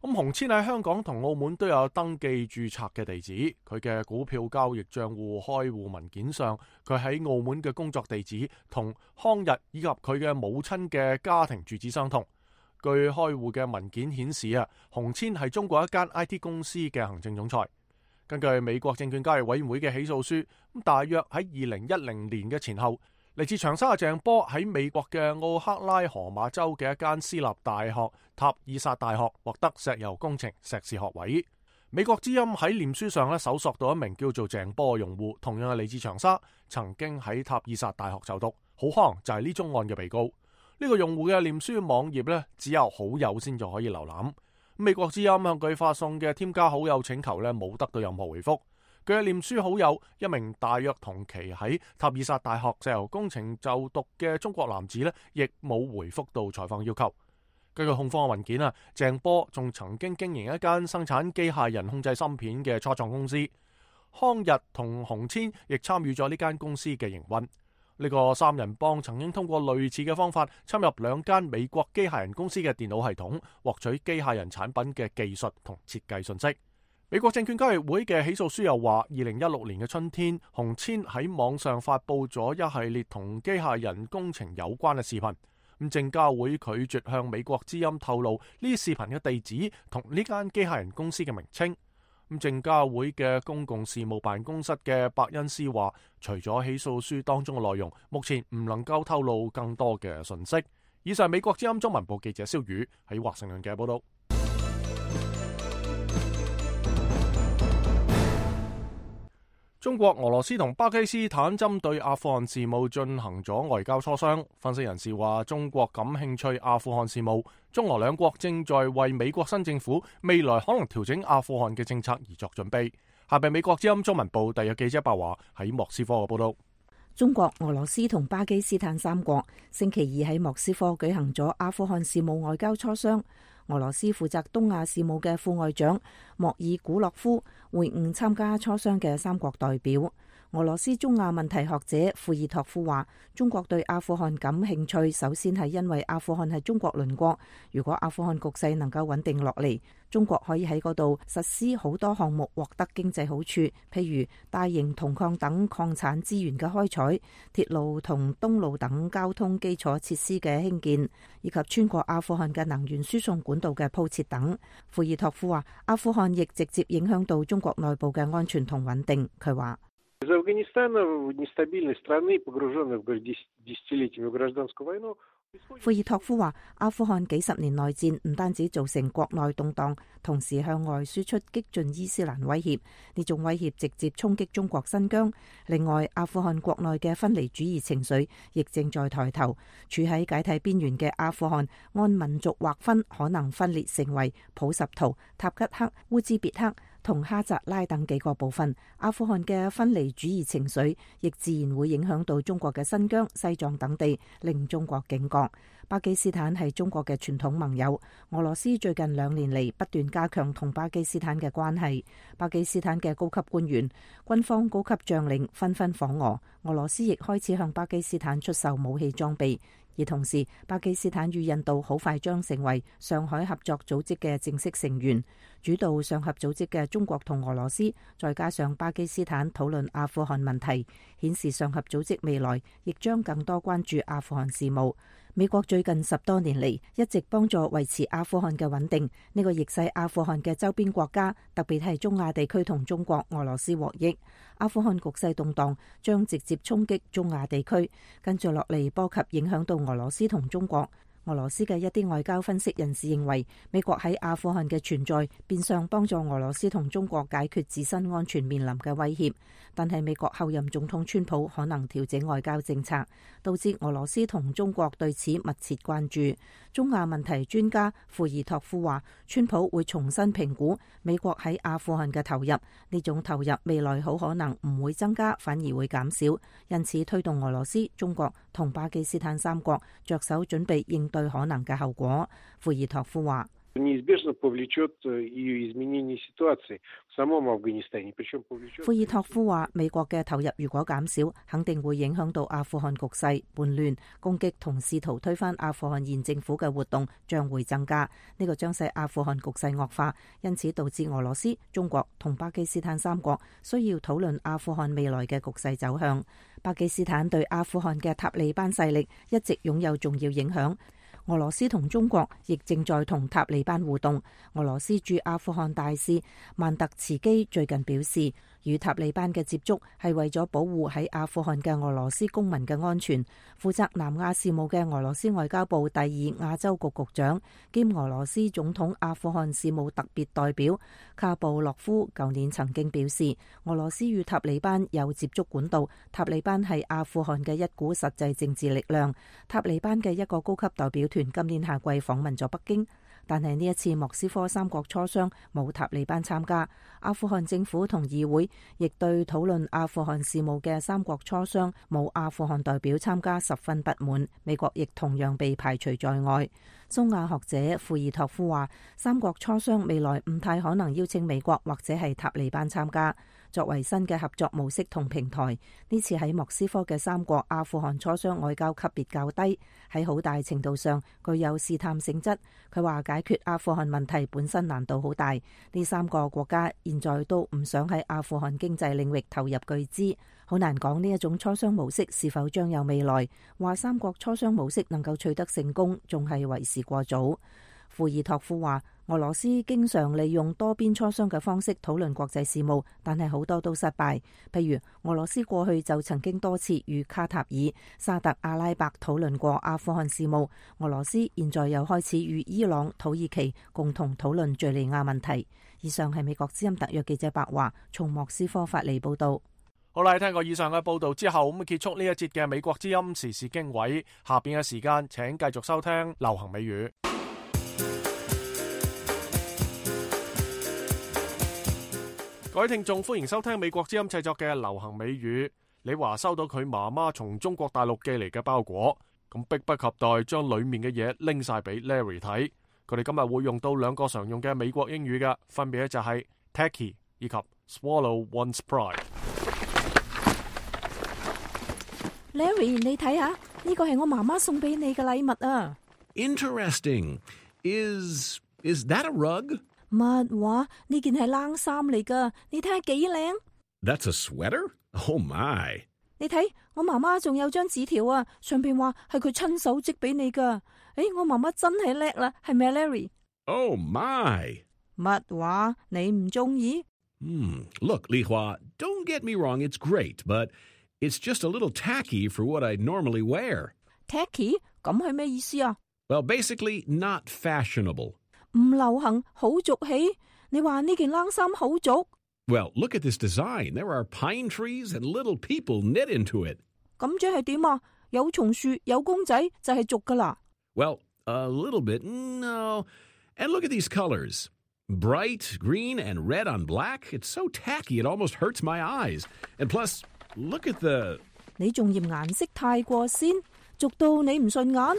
咁洪千喺香港同澳門都有登記註冊嘅地址，佢嘅股票交易賬戶開戶文件上，佢喺澳門嘅工作地址同康日以及佢嘅母親嘅家庭住址相同。據開戶嘅文件顯示啊，洪千係中國一間 I T 公司嘅行政總裁。根據美國證券交易委員會嘅起訴書，咁大約喺二零一零年嘅前後，嚟自長沙嘅鄭波喺美國嘅奧克拉荷馬州嘅一間私立大學塔爾薩大學獲得石油工程碩士學位。美國之音喺臉書上咧搜索到一名叫做鄭波嘅用戶，同樣係嚟自長沙，曾經喺塔爾薩大學就讀，好可能就係呢宗案嘅被告。呢個用戶嘅臉書網頁咧，只有好友先至可以瀏覽。美國之音向佢發送嘅添加好友請求咧，冇得到任何回覆。佢嘅臉書好友一名大約同期喺塔爾薩大學石油工程就讀嘅中國男子咧，亦冇回覆到採訪要求。根據控方嘅文件啊，鄭波仲曾經經營一間生產機械人控制芯片嘅初創公司。康日同洪千亦參與咗呢間公司嘅營運。呢個三人幫曾經通過類似嘅方法侵入兩間美國機械人公司嘅電腦系統，獲取機械人產品嘅技術同設計信息。美國證券交易會嘅起訴書又話，二零一六年嘅春天，洪千喺網上發佈咗一系列同機械人工程有關嘅視頻。咁證交會拒絕向美國之音透露呢啲視頻嘅地址同呢間機械人公司嘅名稱。咁證交會嘅公共事務辦公室嘅伯恩斯話，除咗起訴書當中嘅內容，目前唔能夠透露更多嘅信息。以上美國之音中文部記者蕭宇喺華盛頓嘅報道。中國、俄羅斯同巴基斯坦針對阿富汗事務進行咗外交磋商。分析人士話，中國感興趣阿富汗事務，中俄兩國正在為美國新政府未來可能調整阿富汗嘅政策而作準備。下邊美國之音中文部特約記者白華喺莫斯科嘅報道。
中國、俄羅斯同巴基斯坦三國星期二喺莫斯科舉行咗阿富汗事務外交磋商。俄羅斯負責東亞事務嘅副外長莫爾古洛夫會晤參加磋商嘅三國代表。俄羅斯中亞問題學者庫爾托夫話，中國對阿富汗感興趣，首先係因為阿富汗係中國鄰國。如果阿富汗局勢能夠穩定落嚟，中國可以喺嗰度實施好多項目，獲得經濟好處，譬如大型銅礦等礦產資源嘅開採、鐵路同東路等交通基礎設施嘅興建，以及穿過阿富汗嘅能源輸送管道嘅鋪設等。庫爾托夫話，阿富汗亦直接影響到中國內部嘅安全同穩定。佢話，庫爾托夫話，阿富汗幾十年內戰唔單止造成國內動盪，同時向外輸出激進伊斯蘭威脅，呢種威脅直接衝擊中國新疆。另外，阿富汗國內嘅分離主義情緒亦正在抬頭，處喺解體邊緣嘅阿富汗按民族劃分可能分裂成為普什圖、塔吉克、烏茲別克同哈扎拉等幾個部分。阿富汗嘅分離主義情緒亦自然會影響到中國嘅新疆、西藏等地，令中國警覺。巴基斯坦係中國嘅傳統盟友，俄羅斯最近兩年嚟不斷加強同巴基斯坦嘅關係。巴基斯坦嘅高級官員、軍方高級將領紛紛訪俄，俄羅斯亦開始向巴基斯坦出售武器裝備。而同時，巴基斯坦與印度好快將成為上海合作組織嘅正式成員。主導上合組織嘅中國同俄羅斯，再加上巴基斯坦討論阿富汗問題，顯示上合組織未來亦將更多關注阿富汗事務。美國最近十多年嚟一直幫助維持阿富汗嘅穩定，呢個亦使阿富汗嘅周邊國家，特別係中亞地區同中國、俄羅斯獲益。阿富汗局勢動盪，將直接衝擊中亞地區，跟住落嚟波及影響到俄羅斯同中國。俄羅斯嘅一啲外交分析人士認為，美國喺阿富汗嘅存在變相幫助俄羅斯同中國解決自身安全面臨嘅威脅。但係美國後任總統川普可能調整外交政策，導致俄羅斯同中國對此密切關注。中亞問題專家庫爾托夫話，川普會重新評估美國喺阿富汗嘅投入，呢種投入未來好可能唔會增加，反而會減少，因此推動俄羅斯、中國同巴基斯坦三國着手準備應對可能嘅後果。庫爾托夫話，庫爾托夫話，美國嘅投入如果減少，肯定會影響到阿富汗局勢，叛亂、攻擊同試圖推翻阿富汗現政府嘅活動將會增加，呢個將使阿富汗局勢惡化，因此導致俄羅斯、中國同巴基斯坦三國需要討論阿富汗未來嘅局勢走向。巴基斯坦對阿富汗嘅塔利班勢力一直擁有重要影響。俄羅斯同中國亦正在同塔利班互動。俄羅斯駐阿富汗大使曼特茨基最近表示，與塔利班嘅接觸係為咗保護喺阿富汗嘅俄羅斯公民嘅安全。負責南亞事務嘅俄羅斯外交部第二亞洲局局長兼俄羅斯總統阿富汗事務特別代表卡布洛夫舊年曾經表示，俄羅斯與塔利班有接觸管道，塔利班係阿富汗嘅一股實際政治力量。塔利班嘅一個高級代表團今年夏季訪問咗北京，但係呢一次莫斯科三國磋商冇塔利班參加。阿富汗政府同議會亦對討論阿富汗事務嘅三國磋商冇阿富汗代表參加十分不滿，美國亦同樣被排除在外。中亞學者庫爾托夫話，三國磋商未來唔太可能邀請美國或者係塔利班參加。作為新嘅合作模式同平台，呢次喺莫斯科嘅三國阿富汗磋商外交級別較低，喺好大程度上具有試探性質。佢話解決阿富汗問題本身難度好大，呢三個國家現在都唔想喺阿富汗經濟領域投入巨資，好難講呢一種磋商模式是否將有未來。話三國磋商模式能夠取得成功，仲係為時過早。庫爾托夫話，俄羅斯經常利用多邊磋商嘅方式討論國際事務，但係好多都失敗。譬如俄羅斯過去就曾經多次與卡塔爾、沙特阿拉伯討論過阿富汗事務，俄羅斯現在又開始與伊朗、土耳其共同討論敘利亞問題。以上係美國之音特約記者白華從莫斯科發嚟報道。
好啦，聽過以上嘅報道之後，咁結束呢一節嘅美國之音時事經緯。下邊嘅時間，請繼續收聽流行美語。各位聽眾，歡迎收聽美國之音製作嘅流行美語。你話收到佢媽媽從中國大陸寄嚟嘅包裹，咁迫不及待將裏面嘅嘢拎晒俾 Larry 睇。佢哋今日會用到兩個常用嘅美國英語嘅，分別就係 tacky 以及 swallow one's pride。Larry，
你睇下，呢個係我媽媽送俾你嘅禮物啊。
Interesting. Is is that a rug?
乜話？呢件係冷衫嚟噶，你睇下幾靚。
That's a sweater? Oh my！
你睇，我媽媽仲有張紙條啊，上邊話係佢親手織俾你噶。誒，我媽媽真係叻啦，係咪 Larry？
Oh my！
乜話？你唔中意？
嗯 ，Look， 李華 ，Don't get me wrong， it's great， but it's just a little tacky for what I normally wear。Tacky？
咁係咩意思啊
？Well, basically not fashionable。
唔流行，好俗氣。你話呢件冷衫好俗
？Well, look at this design. There are pine trees and little people knit into it.
咁即係點啊？有松樹，有公仔就係俗噶啦。
Well, a little bit, no. And look at these colors. Bright green and red on black. It's so tacky it almost hurts my eyes. And plus, look at the...
你仲嫌顏色太過鮮，俗到你唔順眼。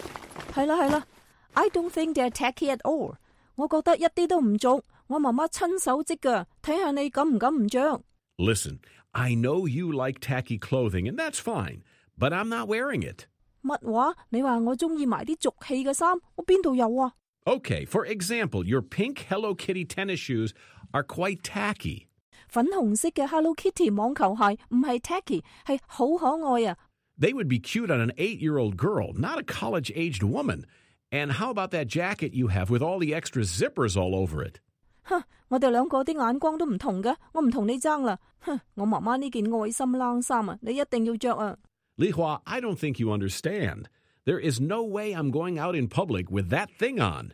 係啦係啦 ，I don't think they're tacky at all。我覺得一啲都唔俗，我媽媽親手織㗎，睇下你敢唔敢唔着。
Listen, I know you like tacky clothing, and that's fine, but I'm not wearing it.
乜話？你話我中意埋啲俗氣嘅衫，我邊度有啊？
Okay, for example, your pink Hello Kitty tennis shoes are quite tacky.
粉紅色嘅 Hello Kitty 網球鞋唔係 tacky， 係好可愛啊。
They would be cute on an eight-year-old girl, not a college-aged woman. And how about that jacket you have with all the extra zippers all over it?
哼，我哋兩個啲眼光都唔同嘅，我唔同你爭啦。哼，我媽媽呢件愛心冷衫啊，你一定要着啊。
Li Hua, I don't think you understand. There is no way I'm going out in public with that thing on.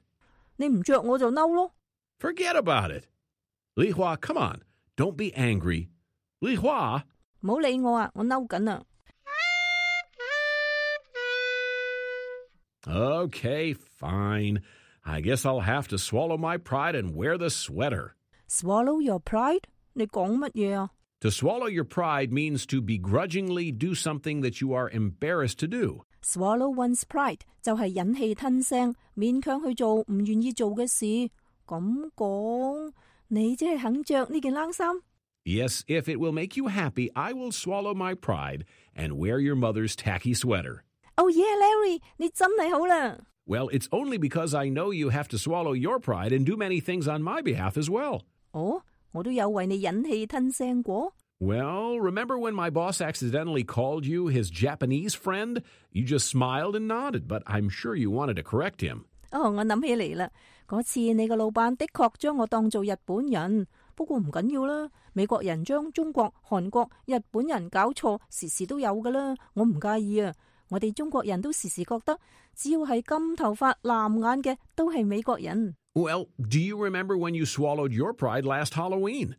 你唔着我就嬲咯。
Forget about it. Li Hua, come on. Don't be angry. Li Hua.
唔好理我啊，我嬲緊啊。
Okay, fine. I guess I'll have to swallow my pride and wear the sweater.
Swallow your pride? 你講乜嘢啊？
To swallow your pride means to begrudgingly do something that you are embarrassed to do.
Swallow one's pride 就係忍氣吞聲，勉強去做唔願意做嘅事。咁講，你即係肯着呢件冷衫？
Yes, if it will make you happy, I will swallow my pride and wear your mother's tacky sweater.
Oh yeah, Larry, 你真係好啦。
Well, it's only because I know you have to swallow your pride and do many things on my behalf as well.
哦，我都有為你忍氣吞聲過。
Well, remember when my boss accidentally called you his Japanese friend? You just smiled and nodded, but I'm sure you wanted to correct him.
哦，我諗起嚟啦，嗰次你個老闆的確將我當做日本人，不過唔緊要啦。美國人將中國、韓國、日本人搞錯，時時都有噶啦，我唔介意啊。我哋中國人都時時覺得，只要係金頭髮、藍眼嘅，都係美國人。
Well, do you remember when you swallowed your pride last Halloween?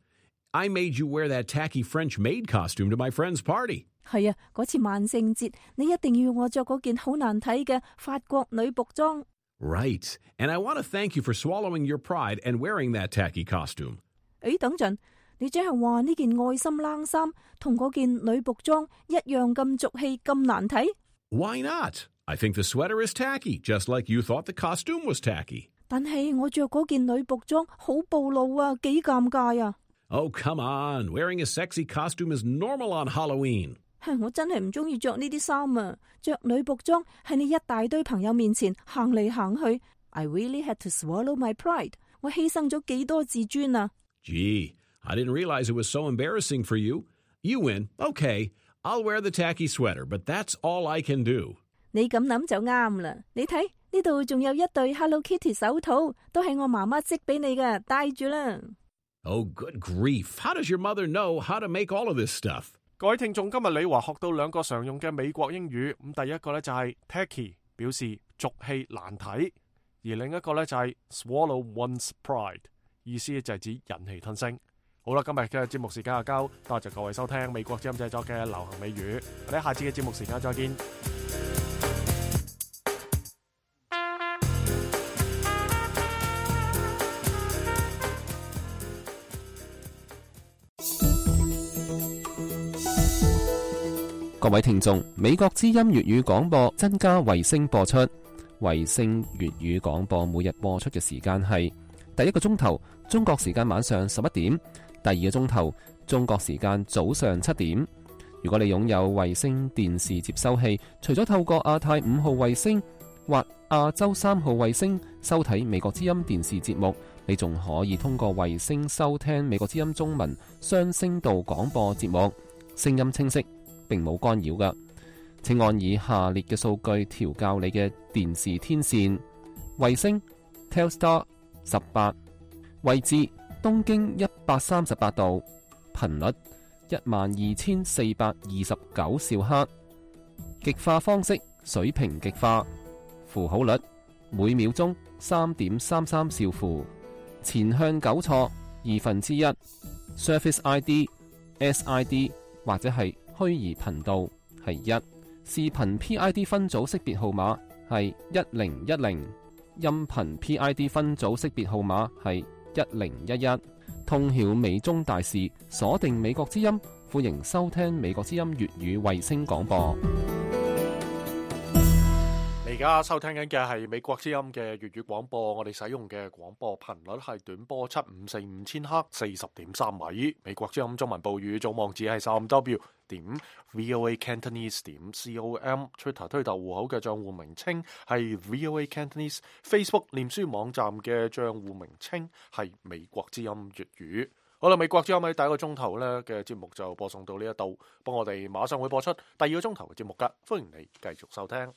I made you wear that tacky French maid costume to my friend's party.
係啊，嗰次萬聖節，你一定要我着嗰件好難睇嘅法國女僕裝。
Right, and I want to thank you for swallowing your pride and wearing that tacky costume.
誒，等陣，你即係話呢件愛心冷衫同嗰件女僕裝一樣咁俗氣、咁難睇？
Why not? I think the sweater is tacky, just like you thought the costume was tacky.
但係我着嗰件女僕裝好暴露啊，幾尷尬啊！
Oh, come on. Wearing a sexy costume is normal on Halloween.
我真係唔中意着呢啲衫啊！着女僕裝喺你一大堆朋友面前行嚟行去 ，I really had to swallow my pride。我犧牲咗幾多自尊啊
Gee, I didn't realize it was so embarrassing for you. You win. Okay, I'll wear the tacky sweater, but that's all I can do.
你咁諗就啱啦。你睇呢度仲有一對 Hello Kitty 手套，都係我媽媽織俾你㗎，戴住啦。
Oh, good grief. How does your mother know how to make all of this stuff?
各位聽眾，今日李華學到兩個常用嘅美國英語。咁第一個咧就係 tacky， 表示俗氣難睇；而另一個咧就係 swallow one's pride， 意思就係指忍氣吞聲。好啦，今日嘅節目時間就夠，多謝各位收聽美國之音製作嘅流行美語。我哋下次嘅節目時間再見。
各位聽眾，美國之音粵語廣播增加衛星播出。衛星粵語廣播每日播出嘅時間係第一個鐘頭中國時間晚上十一點，第二個鐘頭中國時間早上七點。如果你擁有衛星電視接收器，除咗透過亞太五號衛星或亞洲三號衛星收睇美國之音電視節目，你仲可以通過衛星收聽美國之音中文雙聲道廣播節目，聲音清晰，並冇干擾㗎。請按以下列嘅數據調校你嘅電視天線：衛星 Telstar 十八，位置東經一百三十八度，頻率一萬二千四百二十九兆赫，極化方式水平極化，符號率每秒鐘三點三三兆符，前向糾錯二分之一 ，Service I D S I D 或者係虛擬頻道係一，視頻 P I D 分組識別號碼係一零一零，音頻 P I D 分組識別號碼係一零一一。通曉美中大事，鎖定美國之音，歡迎收聽美國之音粵語衛星廣播。
你而家收聽緊嘅係美國之音嘅粵語廣播，我哋使用嘅廣播頻率係短波七五四五千赫，四十點三米。美國之音中文報語總網址係三 W 點 voa cantonese 點 com，Twitter 推特戶口嘅賬戶名稱係 voa cantonese，Facebook 臉書網站嘅賬戶名稱係美國之音粵語。好啦，美國之音喺第一個鐘頭咧嘅節目就播送到呢一度，幫我哋馬上會播出第二個鐘頭嘅節目噶，歡迎你繼續收聽。